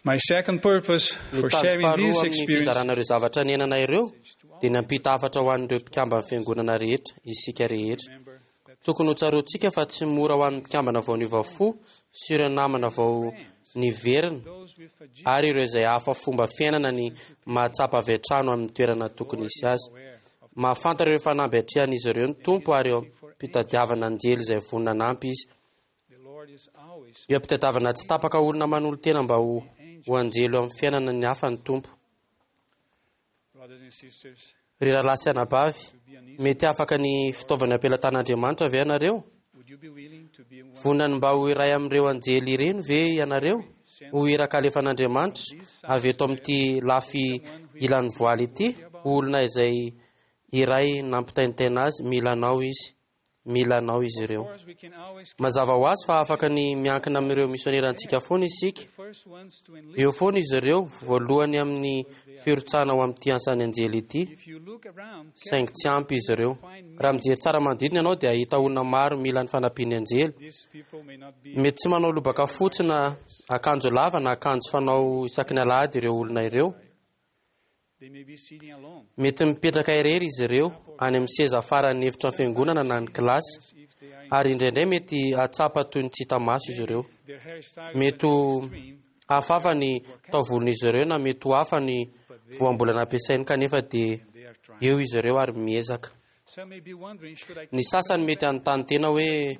J: My second purpose
F: Ny
J: for
F: tanjoko
J: sharing
F: faharoa
J: these
F: amin'ny
J: experiences
F: fizarana ireo zavatra niainana ireo dia ny hampita hafatra ho an'ireo mpikamban'ny fiangonana rehetra, isika rehetra. Tokony ho tsaroantsika fa tsy mora ho an'ny mpikambana vao niova fo sy ireo namana vao niverina ary ireo izay hafa fomba fiainana ny mahatsapa avy hatrany amin'ny toerana tokony hisy azy. Mahafantatra ireo fanamby atrehan'izy ireo ny Tompo ary eo am-pitadiavana anjely izay vonona hanampy izy. Eo am-pitadiavana tsy tapaka olona manolo-tena mba ho ho anjely eo amin'ny fiainana ny hafa ny Tompo. Ry rahalahy sy anabavy, mety afaka ny fitaovana am-pelatan'Andriamanitra ve ianareo? Vonona ny mba ho iray amin'ireo anjely ireny ve ianareo? Ho iraka alefan'Andriamanitra avy eto amin'ity lafy ilan'ny voaly ity, ho olona izay iray nampitaintaina azy, mila anao izy. Mila anao izy ireo. Mazava ho azy fa afaka ny miankina amin'ireo misionerantsika foana isika. Eo foana izy ireo, voalohany amin'ny firotsahana ho amin'ity asan'ny anjely ity, saingy tsy ampy izy ireo. Raha mijery tsara manodidina ianao dia hahita olona maro mila ny fanampian'ny anjely. Mety tsy manao lobaka fotsy na akanjo lava na akanjo fanao isaky ny alahady ireo olona ireo. Mety mipetraka irery izy ireo any amin'ny seza faran'ny efitra fiangonana na ny kilasy, ary indraindray mety hahatsapa toy ny tsy hita maso izy ireo. Mety ho hafahafa ny taovolon'izy ireo na mety ho hafa ny voambolana ampiasainy, kanefa dia eo izy ireo ary miezaka. Ny sasany mety hanontany tena hoe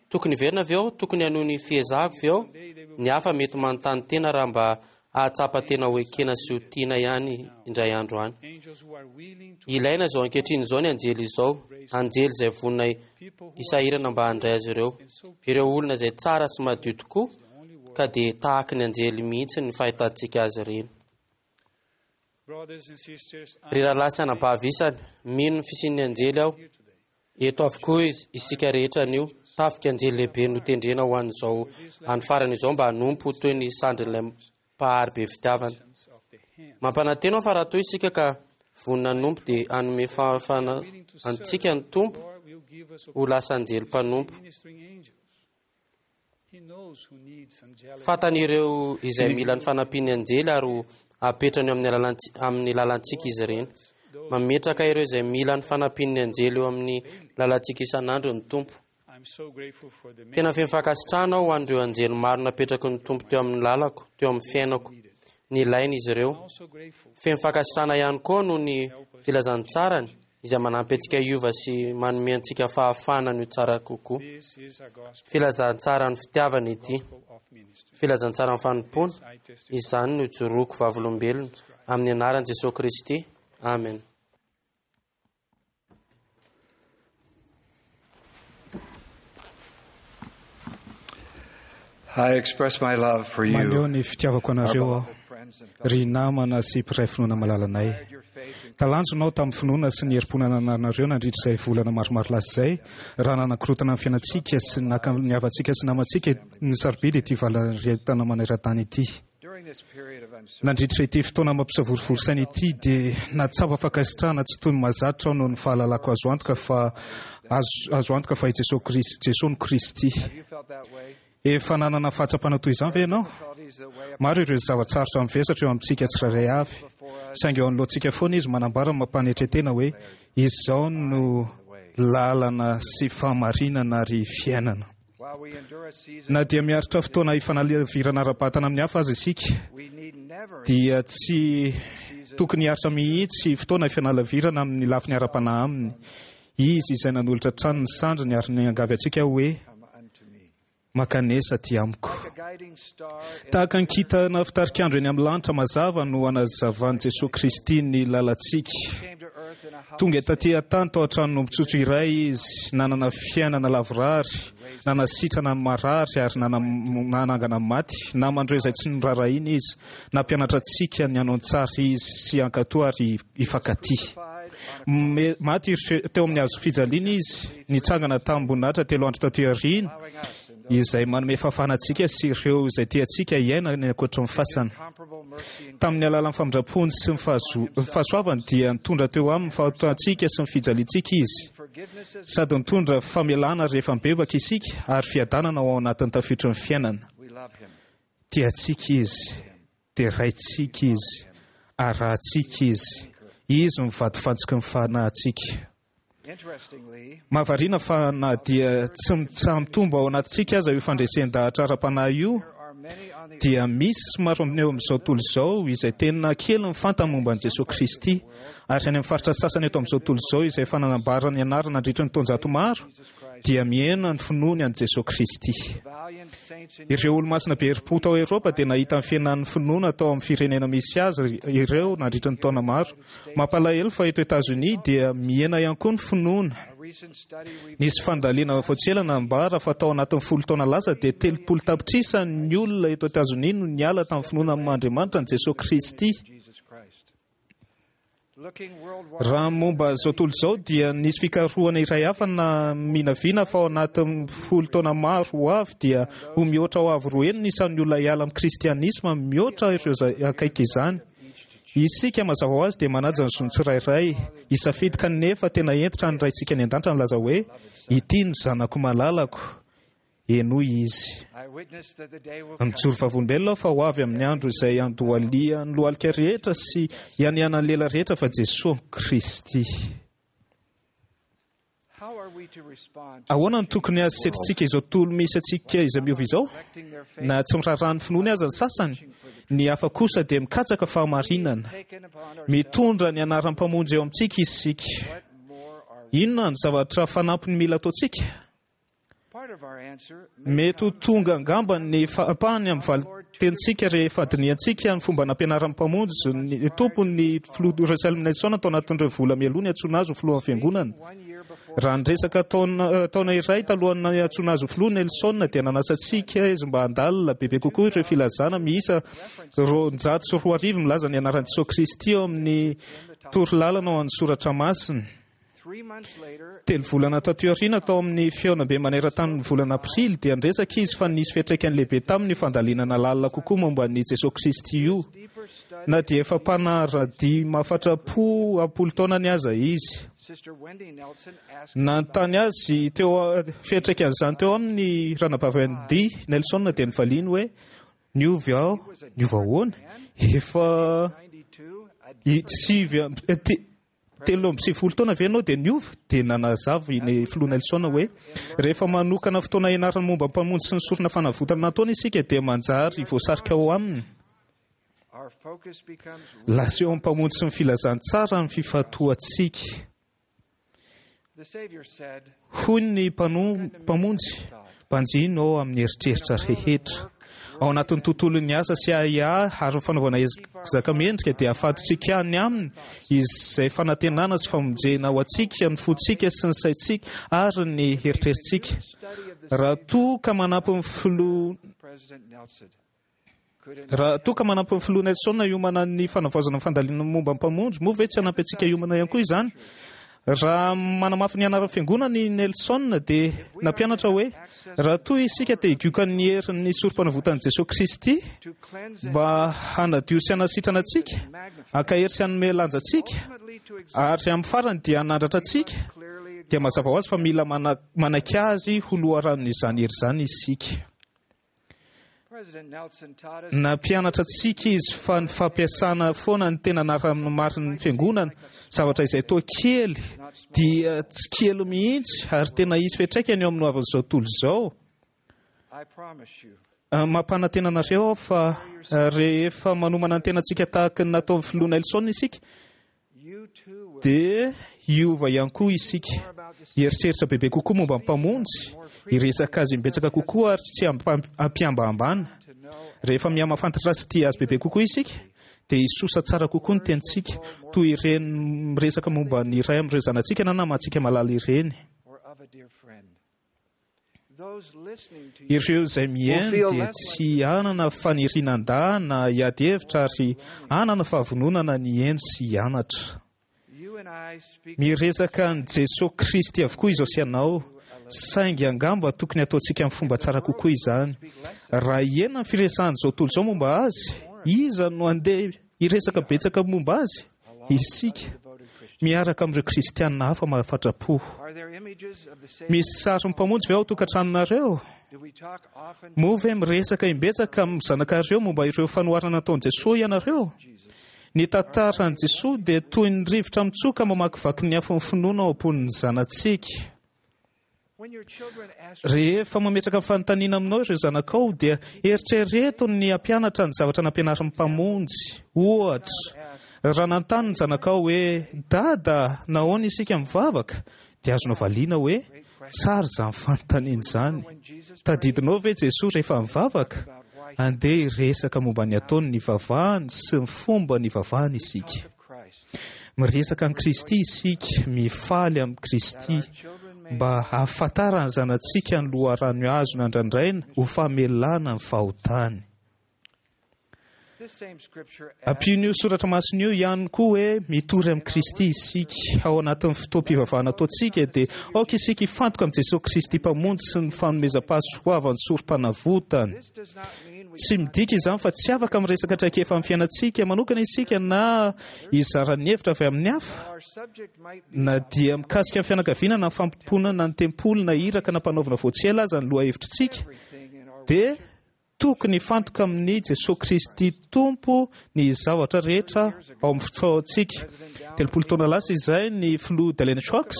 F: tokony hiverina ve aho, tokony hanohy ny fiezahako ve aho? Ny hafa mety manontany tena raha mba hahatsapa tena ho ekena sy ho tiana ihany indray andro any. Ilaina izao ankehitriny izao ny anjely izao, anjely izay vonona hisahirana mba handray azy ireo. Ireo olona izay tsara sy madio tokoa, ka dia tahaky ny anjely mihitsy ny fahitantsika azy ireny. Ry rahalahy sy anabavy isany, mino ny fisian'ny anjely aho. Eto avokoa isika rehetra anio, tafika anjely lehibe notendrena ho an'izao andro farany izao mba hanompo toy ny sandrin'ilay mpahary be fitiavana. Mampanantena aho fa raha toa isika ka vonona hanompo dia hanome fahafahana antsika ny Tompo ho lasa anjely mpanompo. Fantany ireo izay mila ny fanampian'ny anjely ary apetrany eo amin'ny amin'ny lalantsika izy ireny. Mametraka ireo izay mila ny fanampian'ny anjely eo amin'ny lalantsika isan'andro ny Tompo. Tena feno fankasitrahana aho ho an'ireo anjely maro napetraky ny Tompo teo amin'ny lalako, teo amin'ny fiainako. Nilaina izy ireo. Feno fankasitrahana ihany koa noho ny filazantsarany izay manampy antsika hiova sy manome antsika fahafahana ny ho tsara kokoa. Filazantsaran'ny fitiavana ity. Filazantsaran'ny fanompoana. Izany no ijoroako vavolombelona amin'ny anaran'i Jesosy Kristy. Amen.
L: I express my love for you.
G: Maneho ny fitiavako anareo aho, ry namana sy mpiray finoana malalanay. Talanjonao tamin'ny finoana sy ny herim-po nanananareo nandritra izay volana maromaro lasa izay, raha nanakorotana ny fiainantsika sy naka ny havantsika sy namantsika ny sarobidy ity valanaretina maneran-tany ity. Nandritra ity fotoana mampisavorovoro saina ity dia nahatsapa fankasitrahana tsy toy ny mahazatra aho noho ny fahalalako azo antoka fa azo, azo antoka fa i Jesosy Kristy, Jesosy no Kristy. Efa nanana fahatsapana toy izany ve ianao? Maro ireo zava-tsarotra mivesatra eo amintsika tsirairay avy, saingy eo anoloantsika foana izy manambara mampanetren-tena hoe izao no lalana sy fahamarinana ary fiainana. Na dia miaritra fotoana ifanalavirana ara-batana amin'ny hafa aza isika, dia tsy tokony hiaritra mihitsy fotoana ifanalavirana amin'ny lafiny ara-panahy aminy. Izy izay nanolotra hatrany ny sandriny ary niangavy antsika hoe mankanesa aty amiko. Tahaka ny kintana fitarikandro eny amin'ny lanitra mazava no anazavan'i Jesosy Kristy ny lalantsika. Tonga taty an-tany tao an-tranon'omby iray izy, nanana fiainana lavorary, nanasitrana ny marary ary nanangana ny maty. Namandreo izay tsy noraharahiana izy, nampianatra antsika ny hanao ny tsara izy sy hankatò ary hifankatia. Maty teo amin'ny hazo fijaliana izy, nitsangana tamim-boninahitra telo andro taty aoriana, izay manome fahafahana antsika sy ireo izay tiantsika hiaina ny ankoatra ny fasana. Tamin'ny alalan'ny famindrampony sy ny fahasoavany dia nitondra teo amin'ny fahotantsika sy ny fijaliantsika izy, sady nitondra famelana rehefa mibebaka isika ary fiadanana ao anatin'ny tafitry ny fiainana. Tiantsika izy, deraintsika izy, arahantsika izy. Izy no vatofantsiky ny fanahintsika. Mahavariana fa na dia tsy mitsaha-mitombo ao anatintsika aza io fandresen-dahatra ara-panahy io, dia misy maro eo amin'izao tontolo izao izay tena kely ny fantany momba an'i Jesosy Kristy. Ary any amin'ny faritra sasany eto amin'izao tontolo izao izay efa nanambara ny anarana nandritra ny taonjato maro, dia mihena ny finoany an'i Jesosy Kristy. Ireo olo-masina be herim-po tao Eoropa dia nahita ny fihenan'ny finoana tao amin'ny firenena misy azy ireo nandritra ny taona maro. Mampalahelo fa eto Etazonia dia mihena ihany koa ny finoana. Nisy fandaliana vao tsy ela nambara fa tao anatin'ny folo taona lasa dia telopolo tapitrisa ny olona eto Etazonia no niala tamin'ny finoana amin'Andriamanitra an'i Jesosy Kristy. Raha momba izao tontolo izao dia nisy fikarohana iray hafa naminavina fa ao anatin'ny folo taona maro ho avy dia ho mihoatra ho avo roa heny ny isan'ny olona hiala amin'ny kristianisma mihoatra ireo izay akaiky izany. Isika mazava ho azy dia manaja ny zon'ny tsirairay hisafidy, kanefa tena hentitra ny Raintsika any an-danitra nilaza hoe ity no zanako malalako, henoy izy. Mijoro vavolombelona aho fa ho avy amin'ny andro izay handohalihan'ny lohalika rehetra sy hianianan'ny lela rehetra fa Jesosy Kristy. Ahoana no tokony hasetrintsika izao tontolo misy antsika izay miova izao? Na tsy miraharaha ny finoany aza ny sasany, ny hafa kosa dia mikatsaka fahamarinana. Mitondra ny anaran'ny Mpamonjy eo amintsika isika. Inona no zavatra fanampiny mila ataontsika? Mety ho tonga angamba ny ampahany amin'ny valin-tenintsika rehefa dinihantsika ny fomba nampianaran'ny Mpamonjy ny Tompo ny filoha Russell Nelson tao anatin'ireo vola mialoha ny antsoina azy ho filohan'ny fiangonana. Raha niresaka taona, taona iray talohan'ny niantsoana azy ho filoha Nelson dia nanasa antsika izy mba handalina bebe kokoa ireo filazana miisa roanjato sy roa arivo milaza ny anaran'i Jesosy Kristy ao amin'ny torolalana ao amin'ny soratra masina. Telo volana taty aoriana tao amin'ny fihaonambe maneran-tany ny volana Aprily dia niresaka izy fa nisy fiantraikany lehibe taminy io fandalinana lalina kokoa momba an'i Jesosy Kristy io, na dia efa mpanara-dia mahafatra-po am-polo taonany aza izy. Nanontany azy teo fiantraikan'izany teo amin'ny ranabavy Wendy Nelson dia nivaliany hoe niova aho, niova ahoana? Efa sivy telo amby sivifolo taona ve ianao dia niova? Dia nanazava ny filoha Nelson hoe rehefa manokana fotoana ianarana momba ny Mpamonjy sy ny sorona fanavotana nataony isika dia manjary voasarika ao aminy. Lasa eo amin'ny Mpamonjy sy ny filazantsara ny fifantohantsika. Hoy ny Mpamonjy, mpanjino ao amin'ny eritreritra rehetra. Ao anatin'ny tontolon'ny asa sy ahiahy ary ny fanaovana ezaka mendrika dia afantotsika any aminy izay fanantenana sy famonjena ho antsika, ny fontsika sy ny saintsika ary ny eritreritsika. Raha toa ka manampy ny filoha Raha toa ka manampy ny filoha Nelson hiomana ny fanavaozana ny fandalinana momba ny Mpamonjy, moa ve tsy hanampy antsika hiomana ihany koa izany? Raha manamafy ny anaran'ny fiangonana i Nelson dia nampianatra hoe raha toa isika te higioka ny herin'ny sorom-panavotan'i Jesosy Kristy mba hanadio sy hanasitrana antsika, hankahery sy hanome lanja antsika, ary amin'ny farany dia hanandratra antsika, dia mazava ho azy fa mila manaiky azy ho loharanon'izany hery izany isika. Nampianatra antsika izy fa ny fampiasana foana ny tena anaran'ny marin'ny fiangonana, zavatra izay toa kely dia tsy kely mihitsy ary tena hisy fiantraikany eo amin'ny hoavin'izao tontolo izao. Mampanantena anareo aho fa rehefa manomana ny tenantsika tahaka ny nataon'ny filoha Nelson isika, dia hiova ihany koa isika, hieritreritra bebe kokoa momba ny Mpamonjy, hiresaka azy imbetsaka kokoa ary tsy hampihambahambana. Rehefa mihamafantatra sy tia azy bebe kokoa isika, dia hisosa tsara kokoa ny tenintsika, toy ireny miresaka momba ny iray amin'ireo zanatsika na namantsika malala ireny. Ireo izay mihaino dia tsy hanana faniriana handà na hiady hevitra ary hanana fahavononana ny hihaino sy hianatra. Miresaka an'i Jesosy Kristy avokoa izao sy ianao, saingy angamba tokony hataontsika amin'ny fomba tsara kokoa izany. Raha hihena ny firesahan'izao tontolo izao momba azy, iza no handeha hiresaka betsaka momba azy? Isika, miaraka amin'ireo kristianina hafa mahafatra-po. Misy sarin'ny Mpamonjy ve ao an-tokantranonareo? Moa ve miresaka imbetsaka amin'ny zanakareo momba ireo fanoharana nataon'i Jesoa ianareo? Ny tantaran'i Jesoa dia toy ny rivotra mitsoka mamakivaky ny afon'ny finoana ao am-pon'ny zanatsika. Rehefa mametraka fanontaniana aminao ireo zanakao dia eritrereto ny hampianatra ny zavatra nampianarin'ny Mpamonjy. Ohatra, raha nanontany ny zanakao hoe dada, nahoana isika mivavaka? Dia azonao valiana hoe tsara izany fanontaniana izany. Tadidinao ve Jesoa rehefa mivavaka? Andeha hiresaka momba ny ataony nivavahany sy ny fomba nivavahany isika. Miresaka an'i Kristy isika, mifaly amin'i Kristy, mba hahafantaran'ny zanatsika ny loharano azony andrandraina ho famelana ny fahotany. Ampian'io soratra masina io ihany koa hoe mitory amin'i Kristy isika. Ao anatin'ny fotoam-pivavahana ataontsika dia aoka isika hifantoka amin'i Jesosy Kristy Mpamonjy sy ny fanomezam-pahasoavan'ny sorom-panavotany. Tsy midika izany fa tsy afaka miresaka traikefa amin'ny fiainantsika manokana isika na hizara ny hevitra avy amin'ny hafa, na dia mikasika ny fianakaviana na fampomponana na ny tempoly na iraka na mpanaovana vao tsy ela aza ny lohahevitritsika, dia tokony hifantoka amin'i Jesosy Kristy Tompo ny zavatra rehetra ao amin'ny fotoantsika. Telopolo taona lasa izay ny filoha Dallin H. Oaks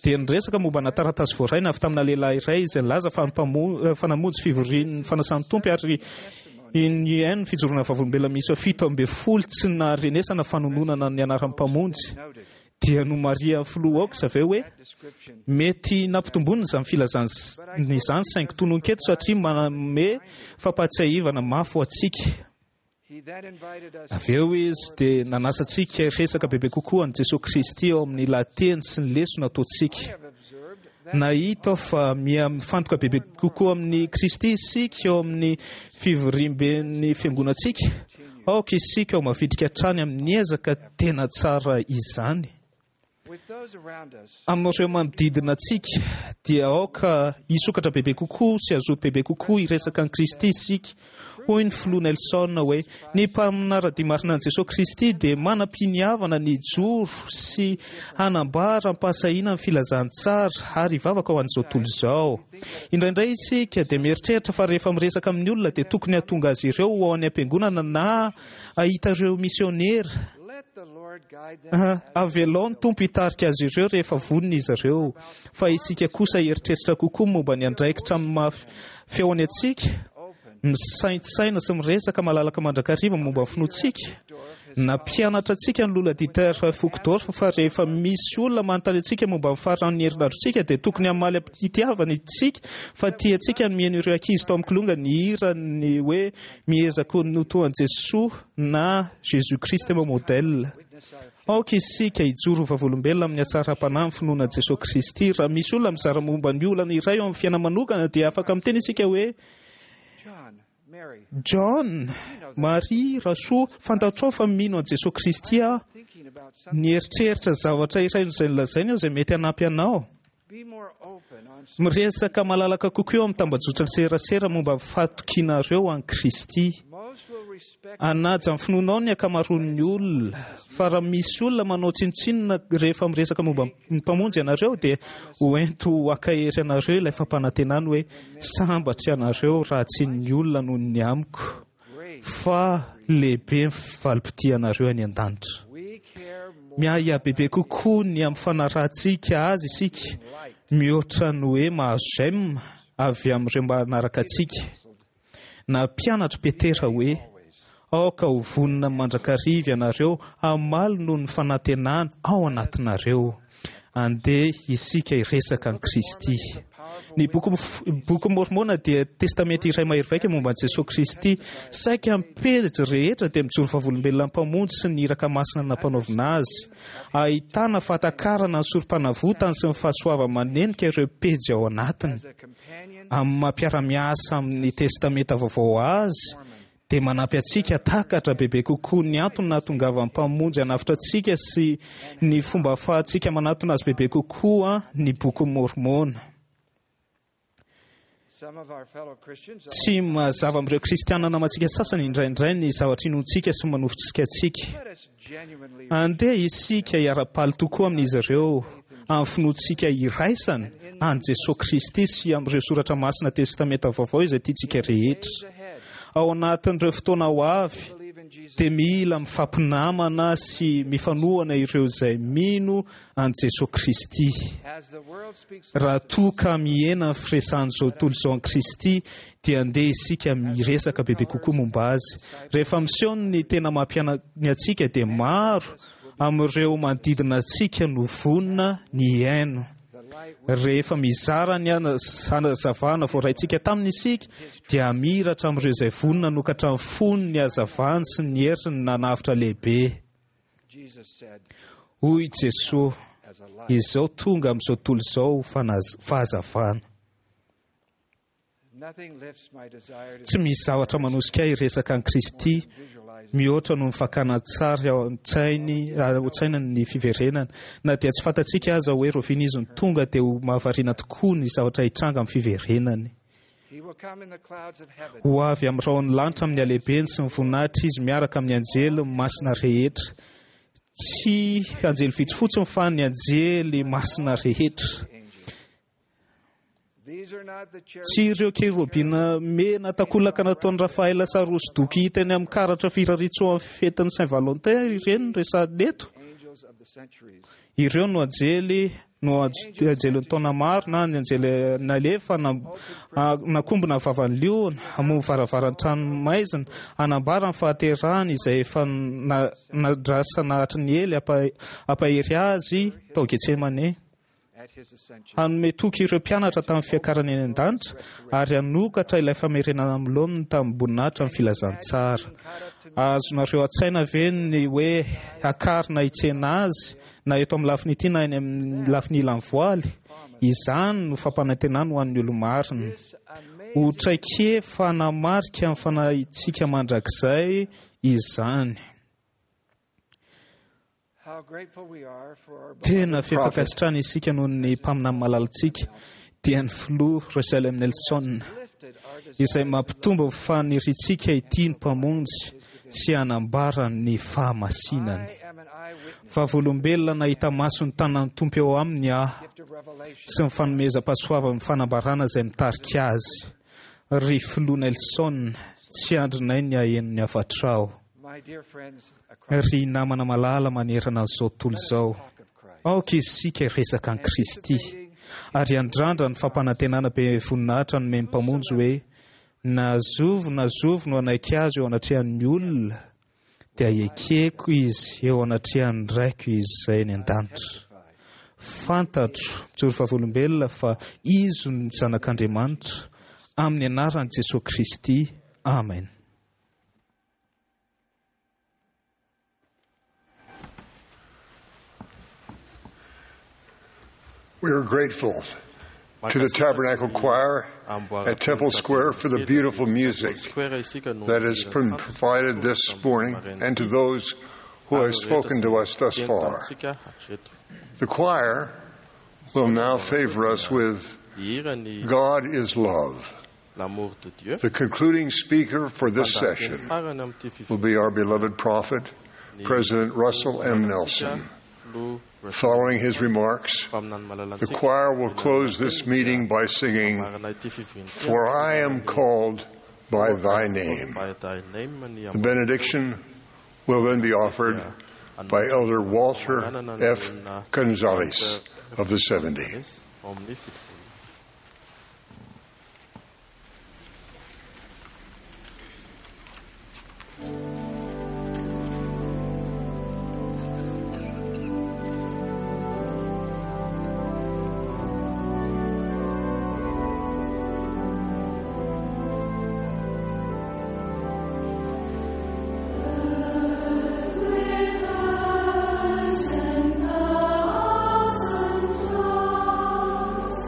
G: dia niresaka momba na taratasy voaraina avy tamina lehilahy iray izay nilaza fa fa namonjy fivorian'ny fanasan'ny Tompo ary ny fijoroana vavolombelona miisa fito amby folo tsy naharenesana fanononana ny anaran'ny Mpamonjy. Dia nomarihan'ny filoha Oaks avy eo hoe mety nampitomboina izany filazana izany saingy tononketo satria manome fampahatsiahivana mafy ho antsika. Avy eo izy dia nanasa antsika hiresaka bebe kokoa an'i Jesosy Kristy ao amin'ny lahateny sy ny lesona ataontsika. Nahita aho fa miha mifantoka bebe kokoa amin'i Kristy isika eo amin'ny fivoriamben'ny fiangonantsika. Aoka isika ho mavitrika hatrany amin'ny ezaka tena tsara izany. Amin'ireo manodidina antsika dia aoka hisokatra bebe kokoa sy hazoto bebe kokoa hiresaka an'i Kristy isika. Hoy ny filoha Nelson hoe ny mpanara-dia marina an'i Jesosy Kristy dia manam-piniavana ny hijoro sy hanambara am-pahasahiana ny filazantsara ary hivavaka ho an'izao tontolo izao. Indraindray isika dia mieritreritra fa rehefa miresaka amin'ny olona dia tokony hahatonga azy ireo ho ao any am-piangonana na hahita ireo misionera. Avelao ny Tompo hitarika azy ireo rehefa vonona izy ireo, fa isika kosa hieritreritra kokoa momba ny andraikitra amin'ny maha fihaonana antsika, misaintsaina sy miresaka malalaka mandrakariva momba ny finoantsika. Nampianatra antsika ny Loholona Dieter Uchtdorf fa rehefa misy olona manontany antsika momba ny faran'ny herinandrontsika dia tokony hamaly am-pitiavana isika fa tiantsika ny mihaino ireo ankizy tao amin'ny kilonga nihira ny hoe miezaka ho toa an'i Jesoa na Jésus Christ est mon modèle. Aoka isika hijoro ho vavolombelona amin'ny hatsaram-panahy ny finoana an'i Jesoa Kristy. Raha misy olona mizara momba ny olana iray eo amin'ny fiainana manokana dia afaka miteny isika hoe John, Maria, Rasoa, fantatrao fa mino an'i Jesoa Kristy aho. Nieritreritra zavatra iray izay nolazainy aho izay mety hanampy anao. Miresaka malalaka kokoa eo amin'ny tambajotra serasera momba ny fahatokianareo an'i Kristy. Hanaja ny finoanao ny ankamaroan'ny olona, fa raha misy olona manao tsinontsinona rehefa miresaka momba ny Mpamonjy ianareo dia ho ento hankahery anareo ilay fampanantenany hoe sambatra ianareo raha tsy ny olona noho ny amiko, fa lehibe ny valim-pitianareo any an-danitra. Miahiahy bebe kokoa ny amin'ny fanarahantsika azy isika mihoatra ny hoe mahazo j'aime avy amin'ireo manaraka antsika. Nampianatra Petera hoe aoka ho vonona mandrakariva ianareo hamaly noho ny fanantenana ao anatinareo. Andeha isika hiresaka an'i Kristy. Ny boky boky Mormona dia testamenta iray mahery vaika momba an'i Jesoa Kristy. Saika amin'ny pejy rehetra dia mijoro vavolombelona ny Mpamonjy sy ny iraka masina nampanaovina azy. Ahitana fahatakarana ny sorom-panavotany sy ny fahasoavany manenika ireo pejy ao anatiny. Amin'ny maha mpiara-miasa amin'ny Testamenta Vaovao azy, dia manampy antsika hahatakatra bebe kokoa ny antony nahatongavan'ny Mpamonjy hanavotra antsika sy ny fomba ahafahantsika manatona azy bebe kokoa ny Bokin'i Môrmôna. Tsy mazava amin'ireo Kristiana namantsika sasany indraindray ny zavatra inoantsika sy manofotsika antsika. Andeha isika hiara-paly tokoa amin'izy ireo amin'ny finoantsika iraisana an'i Jesoa Kristy sy amin'ireo soratra masina Testamenta Vaovao izay tiantsika rehetra. Ao anatin'ireo fotoana ho avy dia mila mifampinamana sy mifanohana ireo izay mino an'i Jesoa Kristy. Raha toa ka mihena ny firesahan'izao tontolo izao an'i Kristy dia andeha isika miresaka bebe kokoa momba azy. Rehefa miseho ny tena maha-mpianany antsika dia maro amin'ireo manodidina antsika no vonona ny hihaino. Rehefa mizara ny hazavana voaraintsika taminy isika dia hamiratra amin'ireo izay vonona hanokatra ny fony ny hazavany sy ny heriny nanavotra lehibe. Hoy Jesoa, Izao tonga amin'izao tontolo izao ho fahazavana. Tsy misy zavatra manosika ahy hiresaka an'i Kristy mihoatra noho ny fakana an-tsary ao an-tsainy ao an-tsaina ny fiverenany. Na dia tsy fantatsika aza hoe rahoviana izy no tonga dia ho mahavariana tokoa ny zavatra hitranga amin'ny fiverenany. Ho avy amin'ny rahon'ny lanitra amin'ny halehibeny sy ny voninahitra izy miaraka amin'ny anjely masina rehetra. Tsy anjely vitsy fotsiny fa ny anjely masina rehetra. Tsy ireo kerobina mena takolaka nataon'i Rafaela sary hosodoko hita eny amin'ny karatra firariantsoa amin'ny fetin'ny Saint Valentin ireny no resahina eto. Ireo no anjely no anjelin'ny taona maro na ny anjely nalefa nakombona ny vavan'ny liona, hamoha ny varavaran'ny trano maizina, hanambara ny fahaterahany izay efa nandrasana hatry ny ela hampahery azy tao Getsemane. Hanome toky ireo mpianatra tamin'ny fiakarany any an-danitra ary hanokatra ilay famerenana amin'ny laoniny tamim-boninahitra ny filazantsara. Azonareo an-tsaina ve ny hoe hakarina hitsena azy na eto amin'ny lafiny ity na eny amin'ny lafiny ilan'ny voaly? Izany no fampanantenany ho an'ny olo-marina. Ho traikefa hanamarika ny fanahintsika mandrakizay izany. Tena feno fankasitrahana isika noho ny mpaminany malalantsika, dia ny filoha Russell M. Nelson. izay mampitombo ny faniriantsika hitia ny Mpamonjy sy hanambara ny fahamasinany. Vavolombelona nahita maso ny tanan'ny Tompo eo aminy aho sy ny fanomezam-pahasoavan'ny fanambarana izay mitarika azy. Ry Filoha Nelson, tsy andrinay ny haheno ny hafatrao. Ry namana malala manerana an'izao tontolo izao, aoka isika hiresaka an'i Kristy ary handrandra ny fampanantenana be voninahitra nomen'ny Mpamonjy hoe na zovy na zovy no hanaiky azy eo anatrehan'ny olona, dia ekeko izy eo anatrehan'ny Raiko izay any an-danitra. Fantatro, mijoro vavolombelona, fa izy no Zanak'Andriamanitra, amin'ny anaran'i Jesosy Kristy. Amen.
C: We are grateful to the Tabernacle Choir at Temple Square for the beautiful music that has been provided this morning and to those who have spoken to us thus far. The choir will now favor us with God is Love. The concluding speaker for this session will be our beloved prophet, President Russell M. Nelson. Following his remarks, the choir will close this meeting by singing, For I Am Called by Thy Name. The benediction will then be offered by Elder Walter F. Gonzalez of the seventy.
M: With eyes and thousand floods.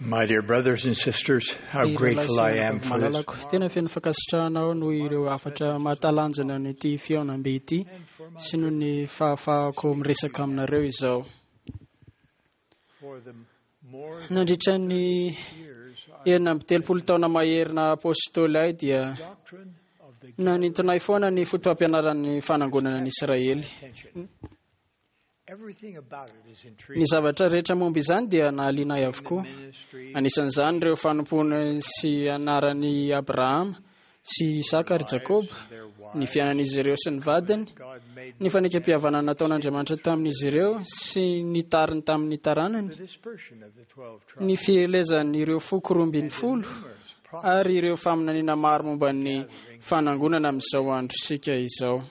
L: My dear brothers and sisters, how grateful I am for this.
M: Malalako, tena feno fankasitrahana aho noho ireo hafatra mahatalanjona an'ity fihaonambe ity sy noho ny fahafahako miresaka aminareo izao. Nandritra ny enina amby telopolo taona mahery naha apôstôly ahy dia nanintona ahy foana ny foto-pampianaran'ny fanangonana ny Israely. Ny zavatra rehetra momba izany dia nahaliana ahy avokoa. Anisan'izany ireo fanompoana sy anaran'i Abrahama sy Isaka ary Jakoba, ny fiainan'izy ireo sy ny vadiny, ny fanekempihavanana nataon'Andriamanitra tamin'izy ireo sy ny tariny tamin'ny taranany, ny fielezan'ireo foko roa ambin'ny folo ary ireo faminaniana maro momba ny fanangonana amin'izao androntsika izao.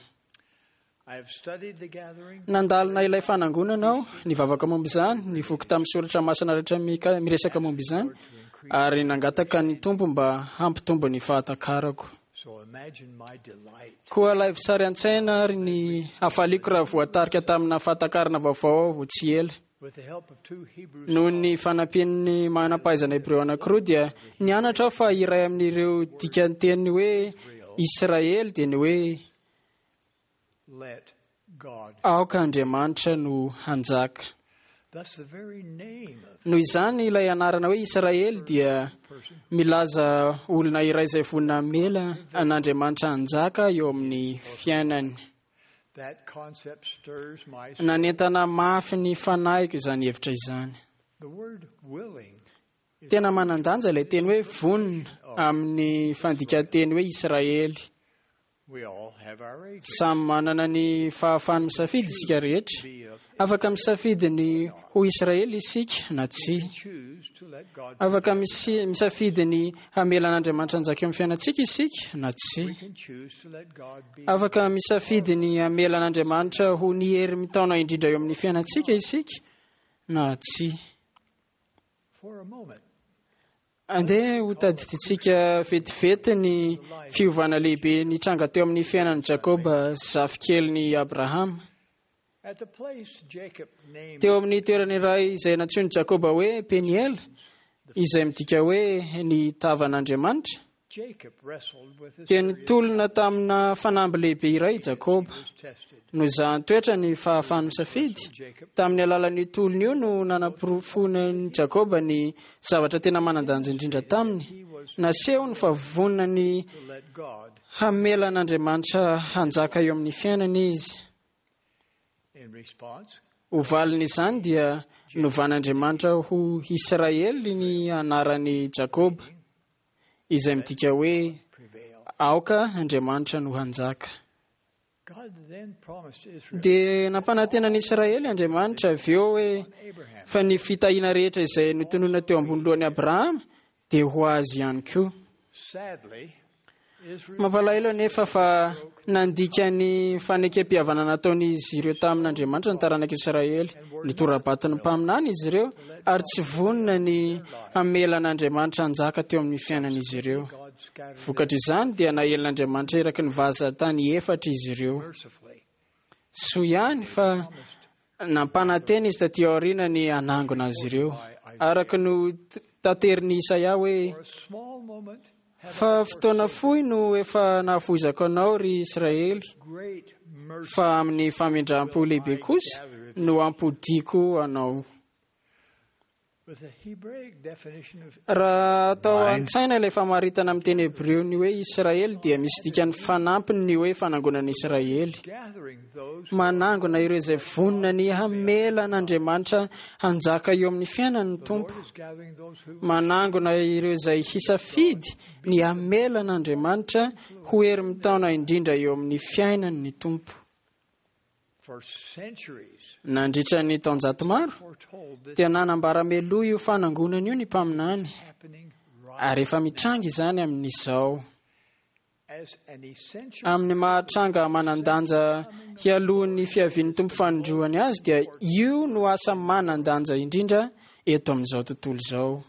M: Nandalina ilay fanangonana aho, nivavaka momba izany, nivoky tamin'ny soratra masina rehetra mika- miresaka momba izany, ary nangataka ny Tompo mba hampitombo ny fahatakarako. Koa alaivo sary an-tsaina ary ny hafaliako raha voatarika tamina fahatakarana vaovao aho tsy ela. Noho ny fanampian'ny manam-pahaizana hebreo anankiroa dia nianatra aho fa iray amin'ireo dikanteny hoe Israely dia ny hoe aoka Andriamanitra no hanjaka. Noho izany ilay anarana hoe Israely dia milaza olona iray izay vonona hamela an'Andriamanitra hanjaka eo amin'ny fiainany. Nanentana mafy ny fanahiko izany hevitra izany. Tena manan-danja ilay teny hoe vonona amin'ny fandikan-teny hoe Israely. Samy manana ny fahafahany misafidy isika rehetra. Afaka misafidy ny ho Israely isika na tsia. Afaka misi- misafidy ny hamela an'Andriamanitra hanjaka eo amin'ny fiainantsika isika na tsia. Afaka misafidy ny hamela an'Andriamanitra ho ny hery mitaona indrindra eo amin'ny fiainantsika isika na tsia. Andeha ho tadidintsika vetivety ny fiovana lehibe nitranga teo amin'ny fiainan'i Jakoba zafikelin'i Abrahama. Teo amin'ny toerana iray izay nantsoin'i Jakoba hoe Peniela, izay midika hoe ny tavan'Andriamanitra, dia nitolona tamina fanamby lehibe iray i Jakoba. Nozahan-toetra ny fahafahany misafidy. Tamin'ny alalan'io tolona io no nanaporofoan'i Jakoba ny zavatra tena manan-danja indrindra taminy. Nasehony fa vonona ny hamela an'Andriamanitra hanjaka eo amin'ny fiainany izy. Ho valin'izany dia novan'Andriamanitra ho Israely ny anaran'i Jakoba, izay midika hoe aoka Andriamanitra no hanjaka. Dia nampanantena ny Israely Andriamanitra avy eo hoe fa ny fitahiana rehetra izay notononina teo ambony lohan'i Abrahama dia ho azy ihany koa. Mampalahelo anefa fa nandika ny fanekempihavanana nataon'izy ireo tamin'Andriamanitra ny taranak'Israely. Nitora-bato ny mpaminany izy ireo ary tsy vonona ny hamela an'Andriamanitra hanjaka teo amin'ny fiainan'izy ireo. Vokatr'izany dia naelin'Andriamanitra eraky ny vazan-tany efatra izy ireo. Soa ihany fa nampanantena izy taty aoriana ny hanangona azy ireo. Araka no taterin'i Isaia hoe fa fotoana fohy no efa nahafoizako anao ry Israely, fa amin'ny famindram-po lehibe kosa no hampodiako anao. Raha atao an-tsaina ilay famaritana amin'ny teny hebreo ny hoe Israely dia misy dikany fanampiny ny hoe fanangonana Israely. Manangona ireo izay vonona ny hamela an'Andriamanitra hanjaka eo amin'ny fiainany ny Tompo. Manangona ireo izay hisafidy ny hamela an'Andriamanitra ho hery mitaona indrindra eo amin'ny fiainany ny Tompo. Nandritra ny taonjato maro dia nanambara meloa io fanangonana io ny mpaminany, ary efa mitranga izany amin'izao. Amin'ny mahatranga manan-danja hialohan'ny fiavian'ny Tompo fanindroany azy dia io no asa manan-danja indrindra eto amin'izao tontolo izao.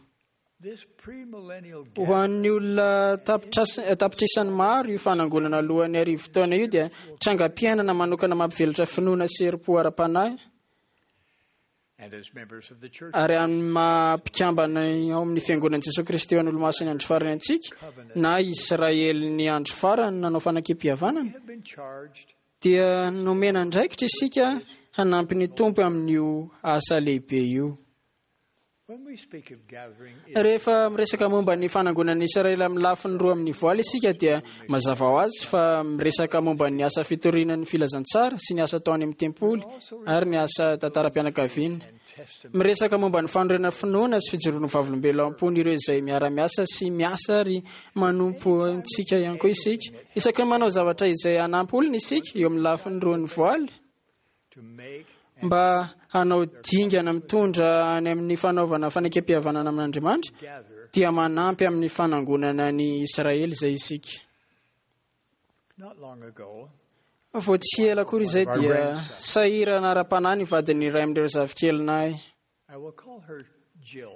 M: Ho an'ny olona tapitrisany maro io fanangonana alohan'ny arivo taona io dia trangam-piainana manokana mampivelatra finoana sy herim-po ara-panahy. Ary amin'ny maha mpikambana ao amin'ny Fiangonan'i Jesoa Kristy ho an'ny Olomasin'ny Andro Farany antsika, na Israelin'ny Andro Farany nanao fanekempihavanana, dia nomena andraikitra isika hanampy ny Tompo amin'io asa lehibe io. Rehefa miresaka momba ny fanangonan'ny Israely amin'ny lafiny roa amin'ny voaly isika, dia mazava ho azy fa miresaka momba ny asa fitoriana ny filazantsara sy ny asa atao any amin'ny tempoly ary ny asa tantaram-pianakaviana. Miresaka momba ny fanorenana finoana sy fijoroana vavolombelona ao am-pon'ireo izay miara-miasa sy miasa ary manompo antsika ihany koa isika. Isaky ny manao zavatra izay hanampy olona isika eo amin'ny lafiny roa ny voaly, mba hanao dingana mitondra any amin'ny fanaovana fanekempihavanana amin'Andriamanitra, dia manampy amin'ny fanangonana ny Israely izay isika. Vao tsy ela akory izay dia sahirana ara-panahy ny vadin'ny iray amin'ireo zafikelinay.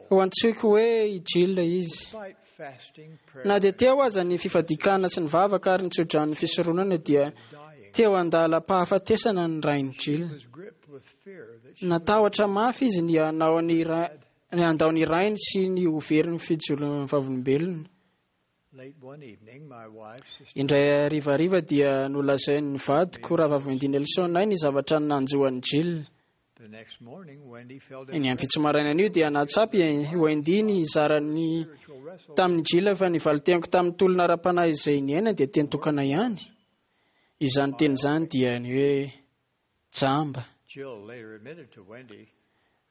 M: Ho antsoiko hoe i Jill izy. Na dia teo aza ny fifadikana sy ny vavaka ary ny tsodran'ny fisoronana, dia teo an-dalam-pahafatesana ny rain'i Jill. Natahotra mafy izy ny hanao ny ra- ny handao ny rainy sy ny ho very ny fijoroan'ny vavolombelona. Indray harivariva dia nolazain'ny vadiko Rahavavy Wendy Nelson ahy ny zavatra nanjo an'i Jill. Ny ampitso maraina an'io dia nahatsapa i Wendy ny hizarany tamin'i Jill fa ny valin-teniko tamin'ny tolona ara-panahy izay niainany dia teny tokana ihany. Izany teny izany dia ny hoe jamba.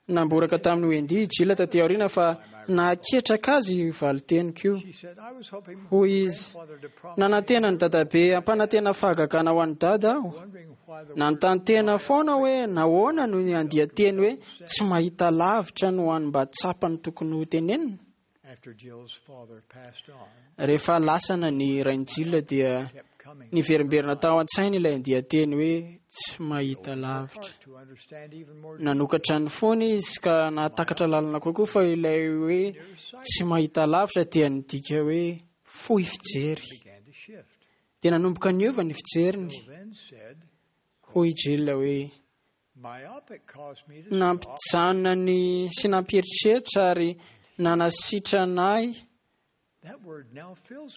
M: Namboraka tamin'i Wendy i Jill taty aoriana fa nahaketraka azy io valin-teniko io. Hoy izy, nanantena ny dadabe hampanantena fahagagana ho an'ny dada aho. Nanontany tena foana hoe nahoana no andian-teny hoe tsy mahita lavitra no any mba tsapany tokony ho tenenina. Rehefa lasana ny rain'i Jill dia niverimberina tao an-tsainy ilay andian-teny hoe tsy mahita lavitra. Nanokatra ny fony izy ka nahatakatra lalina kokoa fa ilay hoe tsy mahita lavitra dia nidika hoe fohy fijery. Dia nanomboka niova ny fijeriny. Hoy Jill hoe nampijanona ny sy nampieritreritra ary nanasitrana ahy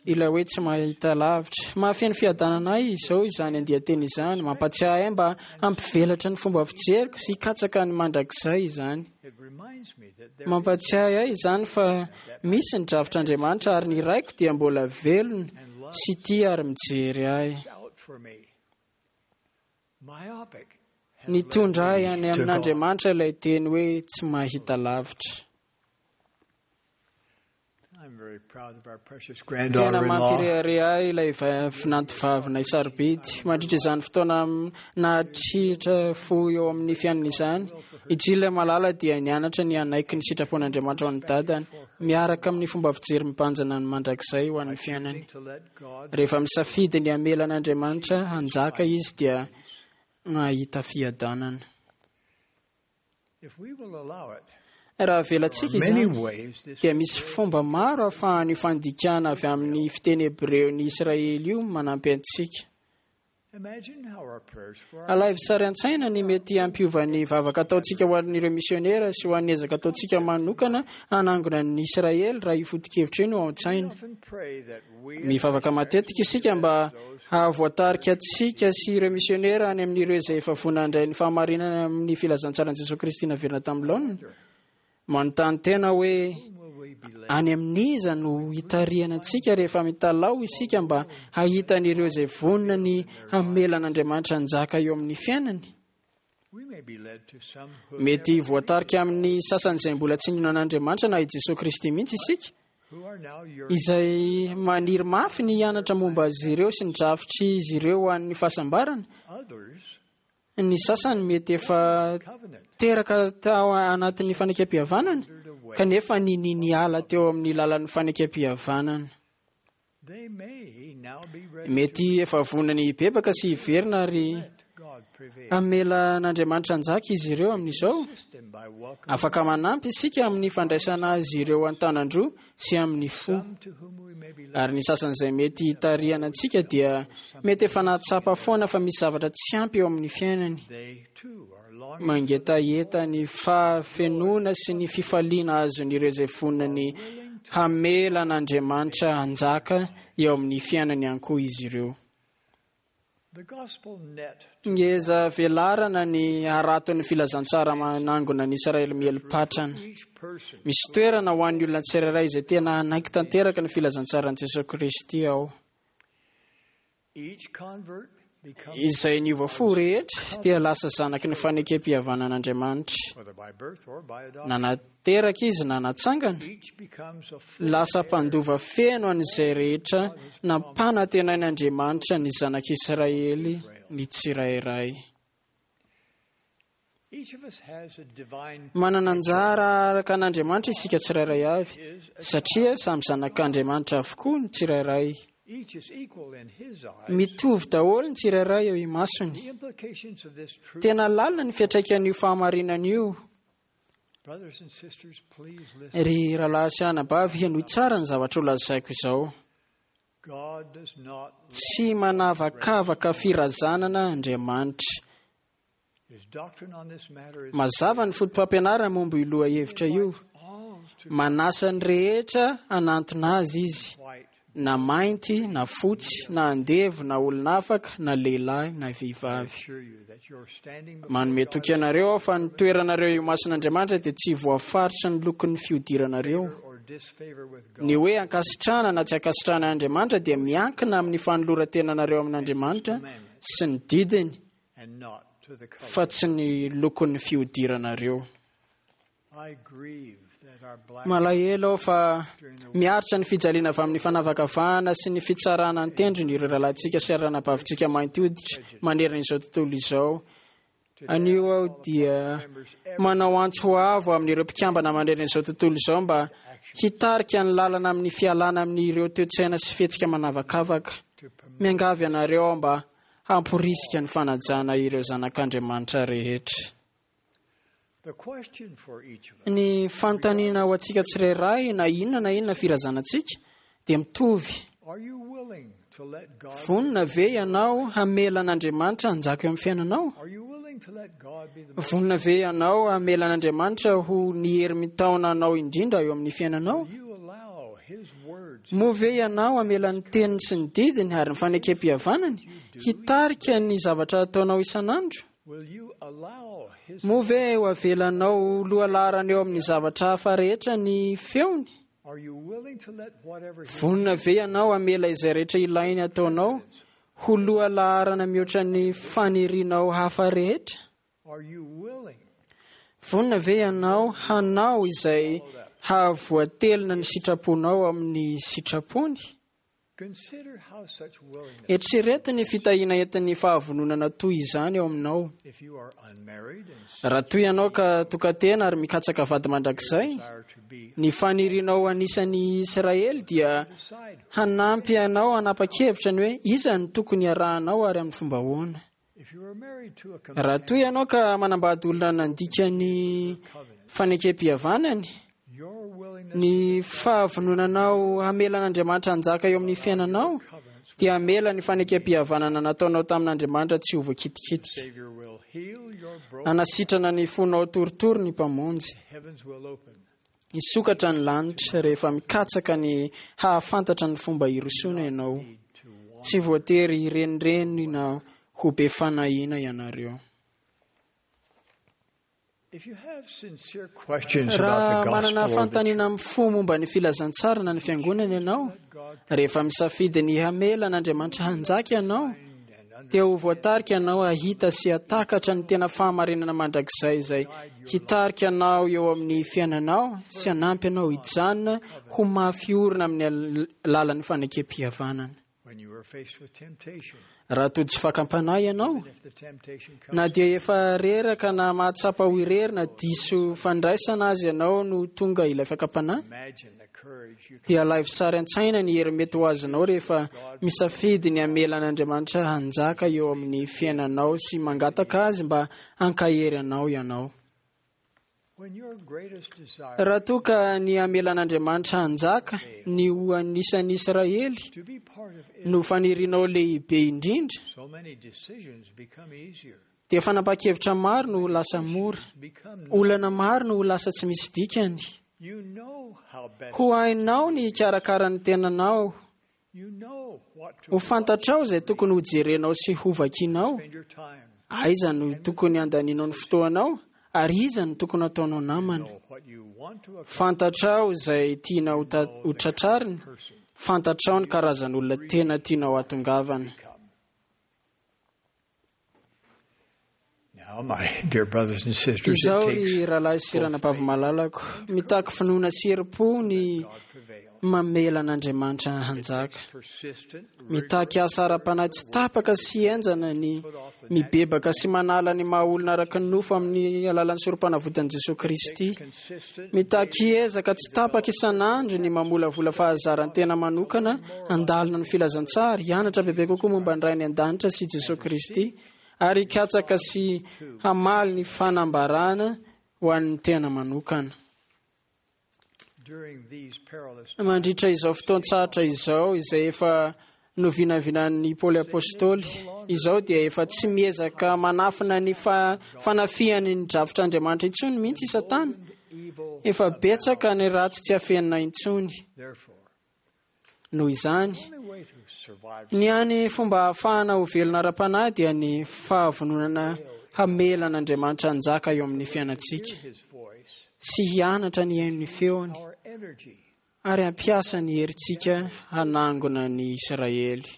M: ilay hoe tsy mahita lavitra. Mahafeno fiadanana ahy izao izany andian-teny izany, mampatsiahy ahy mba hampivelatra ny fomba fijeriko sy hikatsaka ny mandrakizay izany. Mampatsiahy ahy izany fa misy ny drafitr'Andriamanitra ary ny raiko dia mbola velona sy tia ary mijery ahy. Nitondra ahy any amin'Andriamanitra ilay teny hoe tsy mahita lavitra. Tena mampirehareha ahy ilay vinantovavinay sarobidy. Mandritra izany fotoana nahatritra fo eo amin'ny fiainana izany, i Jill malala dia nianatra ny hanaiky ny sitrapon'Andriamanitra ho an'ny dadany, miaraka amin'ny fomba fijery mibanjina ny mandrakizay ho an'ny fiainany. Rehefa misafidy ny hamela an'Andriamanitra hanjaka izy dia nahita fiadanana. Raha avelantsika izany, dia misy fomba maro ahafahan'io fandikana avy amin'ny fiteny hebreo ny Israely io manampy antsika. Alaivo sary an-tsaina ny mety hampiova ny vavaka ataontsika ho an'ireo misionera sy ho an'ny ezaka ataontsika manokana hanangona ny Israely raha io foto-kevitra io no ao an-tsaina. Mivavaka matetika isika mba hahavoatarika antsika sy ireo misionera any amin'ireo izay efa vonona handray ny fahamarinana amin'ny filazantsaran'i Jesoa Kristy naverina tamin'ny laoniny. Manontany tena hoe any amin'iza no hitarihana antsika rehefa mitalaho isika mba hahita an'ireo izay vonona ny hamela an'Andriamanitra hanjaka eo amin'ny fiainany. Mety voatarika amin'ny sasany izay mbola tsy nino an'Andriamanitra na i Jesoa Kristy mihitsy isika, izay maniry mafy ny hianatra momba azy ireo sy ny drafitr'izy ireo ho an'ny fahasambarana. Ny sasany mety efa teraka tao anatin'ny fanekempihavanana, kanefa nini niala teo amin'ny lalan'ny fanekempihavanana. Mety efa vonona ny hibebaka sy hiverina ary hamela an'Andriamanitra hanjaka izy ireo amin'izao. Afaka manampy isika amin'ny fandraisana azy ireo an-tanan-droa sy amin'ny fo. Ary ny sasany izay mety hitarihana antsika dia mety efa nahatsapa foana fa misy zavatra tsy ampy eo amin'ny fiainany. Mangetaheta ny fahafenoana sy ny fifaliana azon'ireo izay vonona ny hamela an'Andriamanitra hanjaka eo amin'ny fiainany ihany koa izy ireo. Ngeza velarana ny haraton'ny filazantsara manangona ny Israely mieli-patrana. Misy toerana ho an'ny olona tsirairay izay tena hanaiky tanteraka ny filazantsaran'i Jesosy Kristy ao. Izay niova fo rehetra dia lasa zanaky ny fanekem-pihavanan'Andriamanitra. Na nateraka izy na natsangana, lasa mpandova feno an'izay rehetra nampanantenain'Andriamanitra ny zanak'Israely ny tsirairay. Manana anjara araka an'Andriamanitra isika tsirairay avy, satria samy zanak'Andriamanitra avokoa ny tsirairay. Mitovy daholo ny tsirairay eo imasony. Tena lalina ny fiantraikan'io fahamarinana io. Ry rahalahy sy anabavy, henoy tsara ny zavatra ho lazaiko izao. Tsy manavakavaka firazanana Andriamanitra. Mazava ny foto-pampianarana momba io lohahevitra io. Manasa ny rehetra hanantona azy izy, na mainty na fotsy, na andevo na olona afaka, na lehilahy na vehivavy. Manome toky anareo aho fa ny toeranareo eo imason'Andriamanitra dia tsy voafaritra ny lokon'ny fiodiranareo. Ny hoe ankasitrahana na tsy ankasitrahana Andriamanitra dia miankina amin'ny fanoloran-tenanareo amin'Andriamanitra sy ny didiny, fa tsy ny lokon'ny fiodiranareo. Malahelo aho fa miaritra ny fijaliana avy amin'ny fanavakavahana sy ny fitsarana an-tendrony ireo rahalahintsika sy ranabavintsika mainty hoditra manerana izao tontolo izao. Anio aho dia manao antso ho avo amin'ireo mpikambana manerana izao tontolo izao mba hitarika ny lalana amin'ny fialana amin'ireo toe-tsaina sy fihetsika manavakavaka. Miangavy anareo aho mba hamporisika ny fanajana ireo zanak'Andriamanitra rehetra. Ny fanontaniana ho antsika tsirairay, na inona na inona firazanantsika, dia mitovy. Vonona ve ianao hamela an'Andriamanitra hanjaka eo amin'ny fiainanao? Vonona ve ianao hamela an'Andriamanitra ho ny hery mitaona anao indrindra eo amin'ny fiainanao? Moa ve ianao hamela ny teniny sy ny didiny ary ny fanekem-pihavanany hitarika ny zavatra ataonao isan'andro? Moa ve ho avelanao lohalaharana eo amin'ny zavatra hafa rehetra ny feony? Vonona ve ianao hamela izay rehetra ilainy ataonao ho lohalaharana mihoatra ny fanirianao hafa rehetra? Vonona ve ianao hanao izay hahavoatelina ny sitraponao amin'ny sitrapony? Eritrereto ny fitahiana entin'ny fahavononana toy izany eo aminao. Raha toy ianao ka tokantena ary mikatsaka vady mandrakizay, ny fanirianao anisan'ny Israely dia hanampy anao hanapa-kevitra ny hoe iza no tokony hiarahanao ary amin'ny fomba ahoana. Raha toy ianao ka manambady olona nandika ny fanekem-pihavanany, ny fahavononanao hamela an'Andriamanitra hanjaka eo amin'ny fiainanao dia hamela ny fanekem-pihavanana nataonao tamin'Andriamanitra tsy ho voakitikitika. Hanasitrana ny fonao torotoro ny Mpamonjy. Hisokatra ny lanitra rehefa mikatsaka ny hahafantatra ny fomba hirosoana ianao. Tsy voatery hirenireny na ho be fanahiana ianareo. Raha manana fanontaniana amin'ny fo momba ny filazantsara na ny fiangonana ianao, rehefa misafidy ny hamela an'Andriamanitra hanjaka ianao, dia ho voatarika ianao hahita sy hatakatra ny tena fahamarinana mandrakizay izay hitarika anao eo amin'ny fiainanao sy hanampy anao hijanona ho mafy orina amin'ny lalan'ny fanekem-pihavanana. Raha tojo tsy fakam-panahy ianao, na dia efa reraka na mahatsapa ho irery na diso fandraisana azy ianao no tonga ilay fakam-panahy, dia alaivo sary an-tsaina ny hery mety ho azonao rehefa misafidy ny hamela an'Andriamanitra hanjaka eo amin'ny fiainanao sy mangataka azy mba hankahery anao ianao. Raha toa ka ny hamelan'Andriamanitra hanjaka ny ho anisan'ny Israely no fanirianao lehibe indrindra, dia fanapahan-kevitra maro no ho lasa mora, olana maro no ho lasa tsy misy dikany. Ho hainao ny hikarakara ny tenanao, ho fantatrao izay tokony hojerenao sy hovakinao, aiza no tokony handaninao ny fotoanao, ary iza no tokony hataonao namana. Fantatrao izay tianao ho tratrarina, fantatrao ny karazan'olona tena tianao hatongavana. Izao ry rahalahy sy ranabavy malalako, mitaky finoana sy herim-po ny mamela an'Andriamanitra hanjaka. Mitaky asa ara-panahy tsy tapaka sy henjana ny mibebaka sy manala ny maha olona araka ny nofo amin'ny alalan'ny sorom-panavotan'i Jesosy Kristy. Mitaky ezaka tsy tapaka isan'andro ny mamolavola fahazaran-tena manokana handalina ny filazantsara, hianatra bebe kokoa momba ny Ray any an-danitra sy Jesosy Kristy, ary hikatsaka sy hamaly ny fanambarana ho an'ny tena manokana. Mandritra izao fotoan-tsarotra izao, izay efa novinavinan'ny Paoly Apostoly, izao dia efa tsy miezaka manafina ny fanafihany ny drafitr'Andriamanitra intsony mihitsy i Satana. Efa betsaka ny ratsy tsy afenina intsony. Noho izany, ny hany fomba ahafahana ho velona ara-panahy dia ny fahavononana hamela an'Andriamanitra hanjaka eo amin'ny fiainantsika sy hianatra ny haino ny feony ary hampiasa ny herintsika hanangona ny Israely.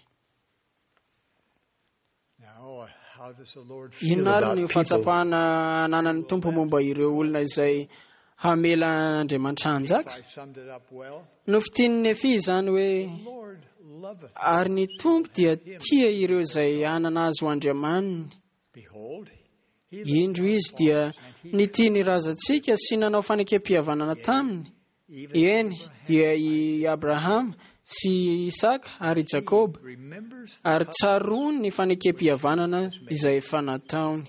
M: Inona ary ny fahatsapana ananan'ny Tompo momba ireo olona izay hamela an'Andriamanitra hanjaka? Nofintinin'i Nefia izany hoe, ary ny Tompo dia tia ireo izay hanana azy ho Andriamaniny. Indro izy dia nitia ny razantsika sy nanao fanekem-pihavanana taminy. Eny, dia i Abrahama sy Isaka ary i Jakoba, ary tsaroany ny fanekem-pihavanana izay efa nataony.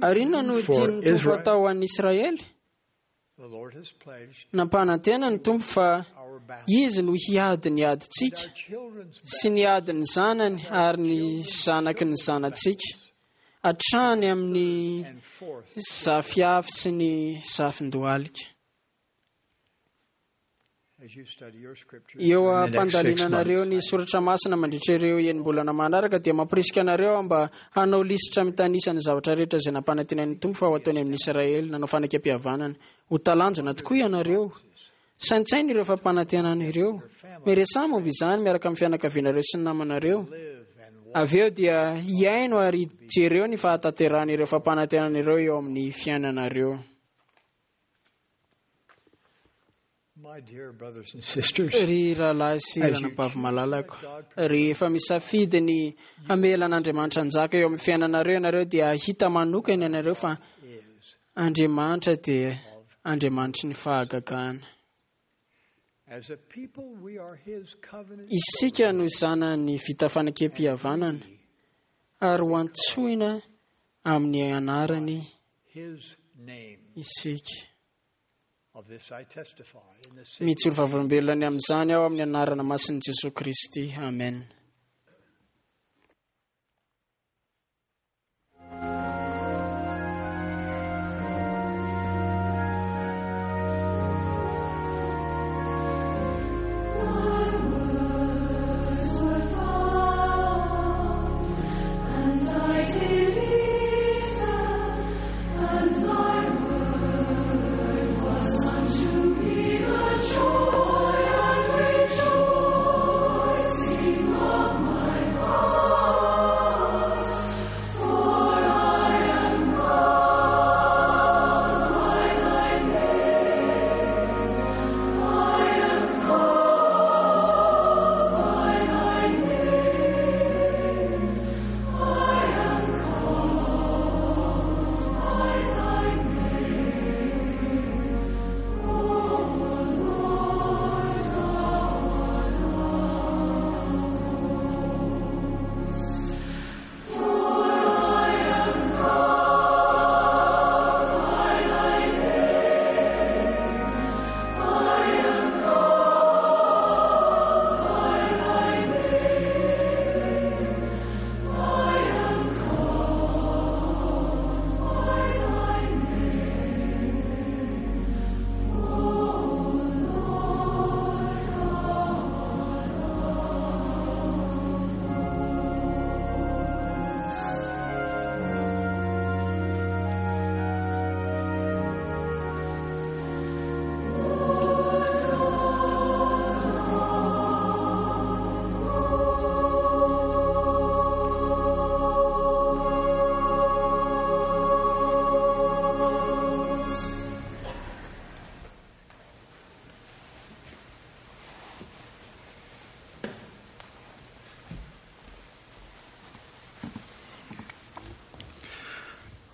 M: Ary inona no tian'ny Tompo atao ho an'ny Israely? Nampanantena ny Tompo fa Izy no hiady ny adintsika sy ny adin'ny zanany ary ny zanaky ny zanatsika, hatrany amin'ny zafiafy sy ny zafin-dohalika. Eo am-pandalinanareo ny soratra masina mandritra ireo enim-bolana manaraka dia mampirisika anareo aho mba hanao lisitra mitanisa ny zavatra rehetra izay nampanantenain'ny Tompo fa ho ataony amin'ny Israely nanao fanekem-pihavanana. Ho talanjona tokoa ianareo. Saintsaino ireo fampanantenana ireo. Miresaha momba izany miaraka amin'ny fianakavianareo sy ny namanareo. Avy eo dia hihaino ary jereo ny fahatanterahan'ireo fampanantenana ireo eo amin'ny fiainanareo. Ry rahalahy sy ranabavy malalako, rehefa misafidy ny hamela an'Andriamanitra hanjaka eo amin'ny fiainanareo ianareo dia hahita manokana ianareo fa Andriamanitra dia Andriamanitry ny fahagagana. Isika no zanany vita fanekem-pihavanana ary ho antsoina amin'ny anarany isika. Mijoro vavolombelona ny amin'izany aho amin'ny anarana masin'i Jesoa Kristy. Amen.
N: Joy and rejoicing.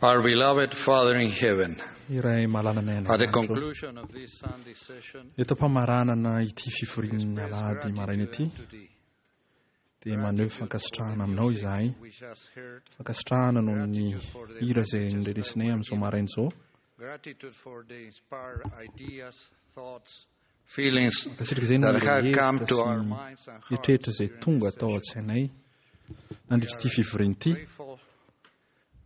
L: Our beloved Father in heaven,
K: Iray malalana any
L: at the
K: an-danitra.
L: conclusion of this Sunday session,
K: Eto am-pamaranana ity fivorian'ny alahady maraina ity dia maneho fankasitrahana aminao izahay.
L: we just heard
K: Fankasitrahana noho ny hira izay norenesinay amin'izao maraina izao.
L: gratitude for the inspired ideas, thoughts, feelings
K: Mankasitraka izay noho
L: that
K: ireo
L: have come
K: hevitra
L: to
K: sy
L: our
K: ny
L: minds and hearts.
K: eritreritra izay tonga tao an-tsainay nandritra ity fivoriana ity.
L: Grateful,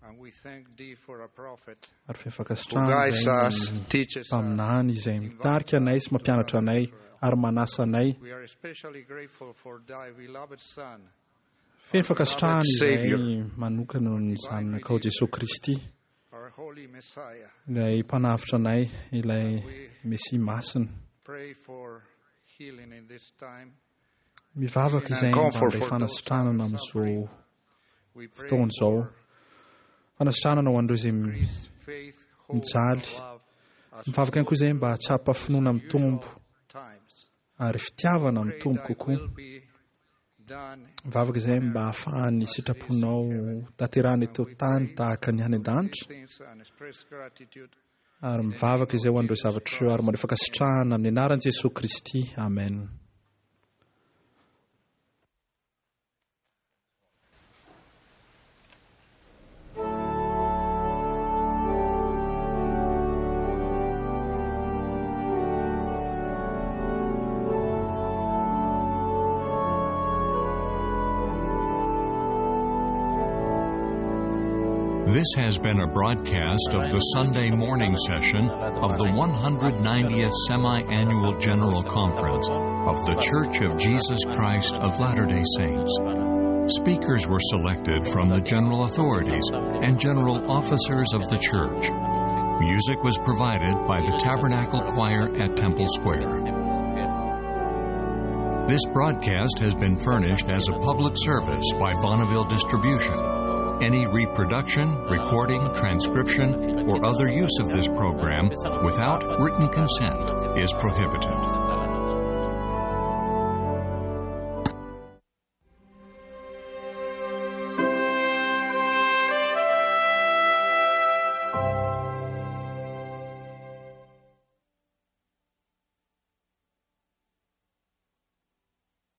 L: and we thank thee for a prophet
K: Ary feno
L: who
K: fankasitrahana
L: guides
K: izay
L: us,
K: ny
L: teaches us.
K: mpaminany izay mitarika anay sy mampianatra anay ary manasa anay.
L: We are especially grateful for thy beloved Son,
K: Feno fankasitrahana
L: Savior,
K: izay manokana noho ny zanakao Jesosy Kristy,
L: our holy Messiah.
K: ilay mpanavotra anay, ilay Mesia masina.
L: Pray for healing in this time.
K: Mivavaka izay mba handray fanasitranana amin'izao
L: We pray
K: fotoana izao. Fanasitranana ho an'ireo izay
L: faith, hope,
K: mijaly.
L: love as
K: Mivavaka ihany koa izay mba hahatsapa finoana mitombo
L: times.
K: ary fitiavana
L: Pray
K: mitombo
L: thy
K: kokoa.
L: will be done
K: Mivavaka izay mba hahafahan'ny sitraponao tanterahana eto tany tahaka ny any an-danitra.
L: things and express gratitude
K: Ary mivavaka izay ho an'ireo zavatra ireo ary maneho fankasitrahana amin'ny anaran'i Jesosy Kristy. Amen.
A: This has been a broadcast of the Sunday morning session of the one hundred ninetieth Semi-Annual General Conference of The Church of Jesus Christ of Latter-day Saints. Speakers were selected from the general authorities and general officers of the church. Music was provided by the Tabernacle Choir at Temple Square. This broadcast has been furnished as a public service by Bonneville Distribution. Any reproduction, recording, transcription, or other use of this program without written consent is prohibited.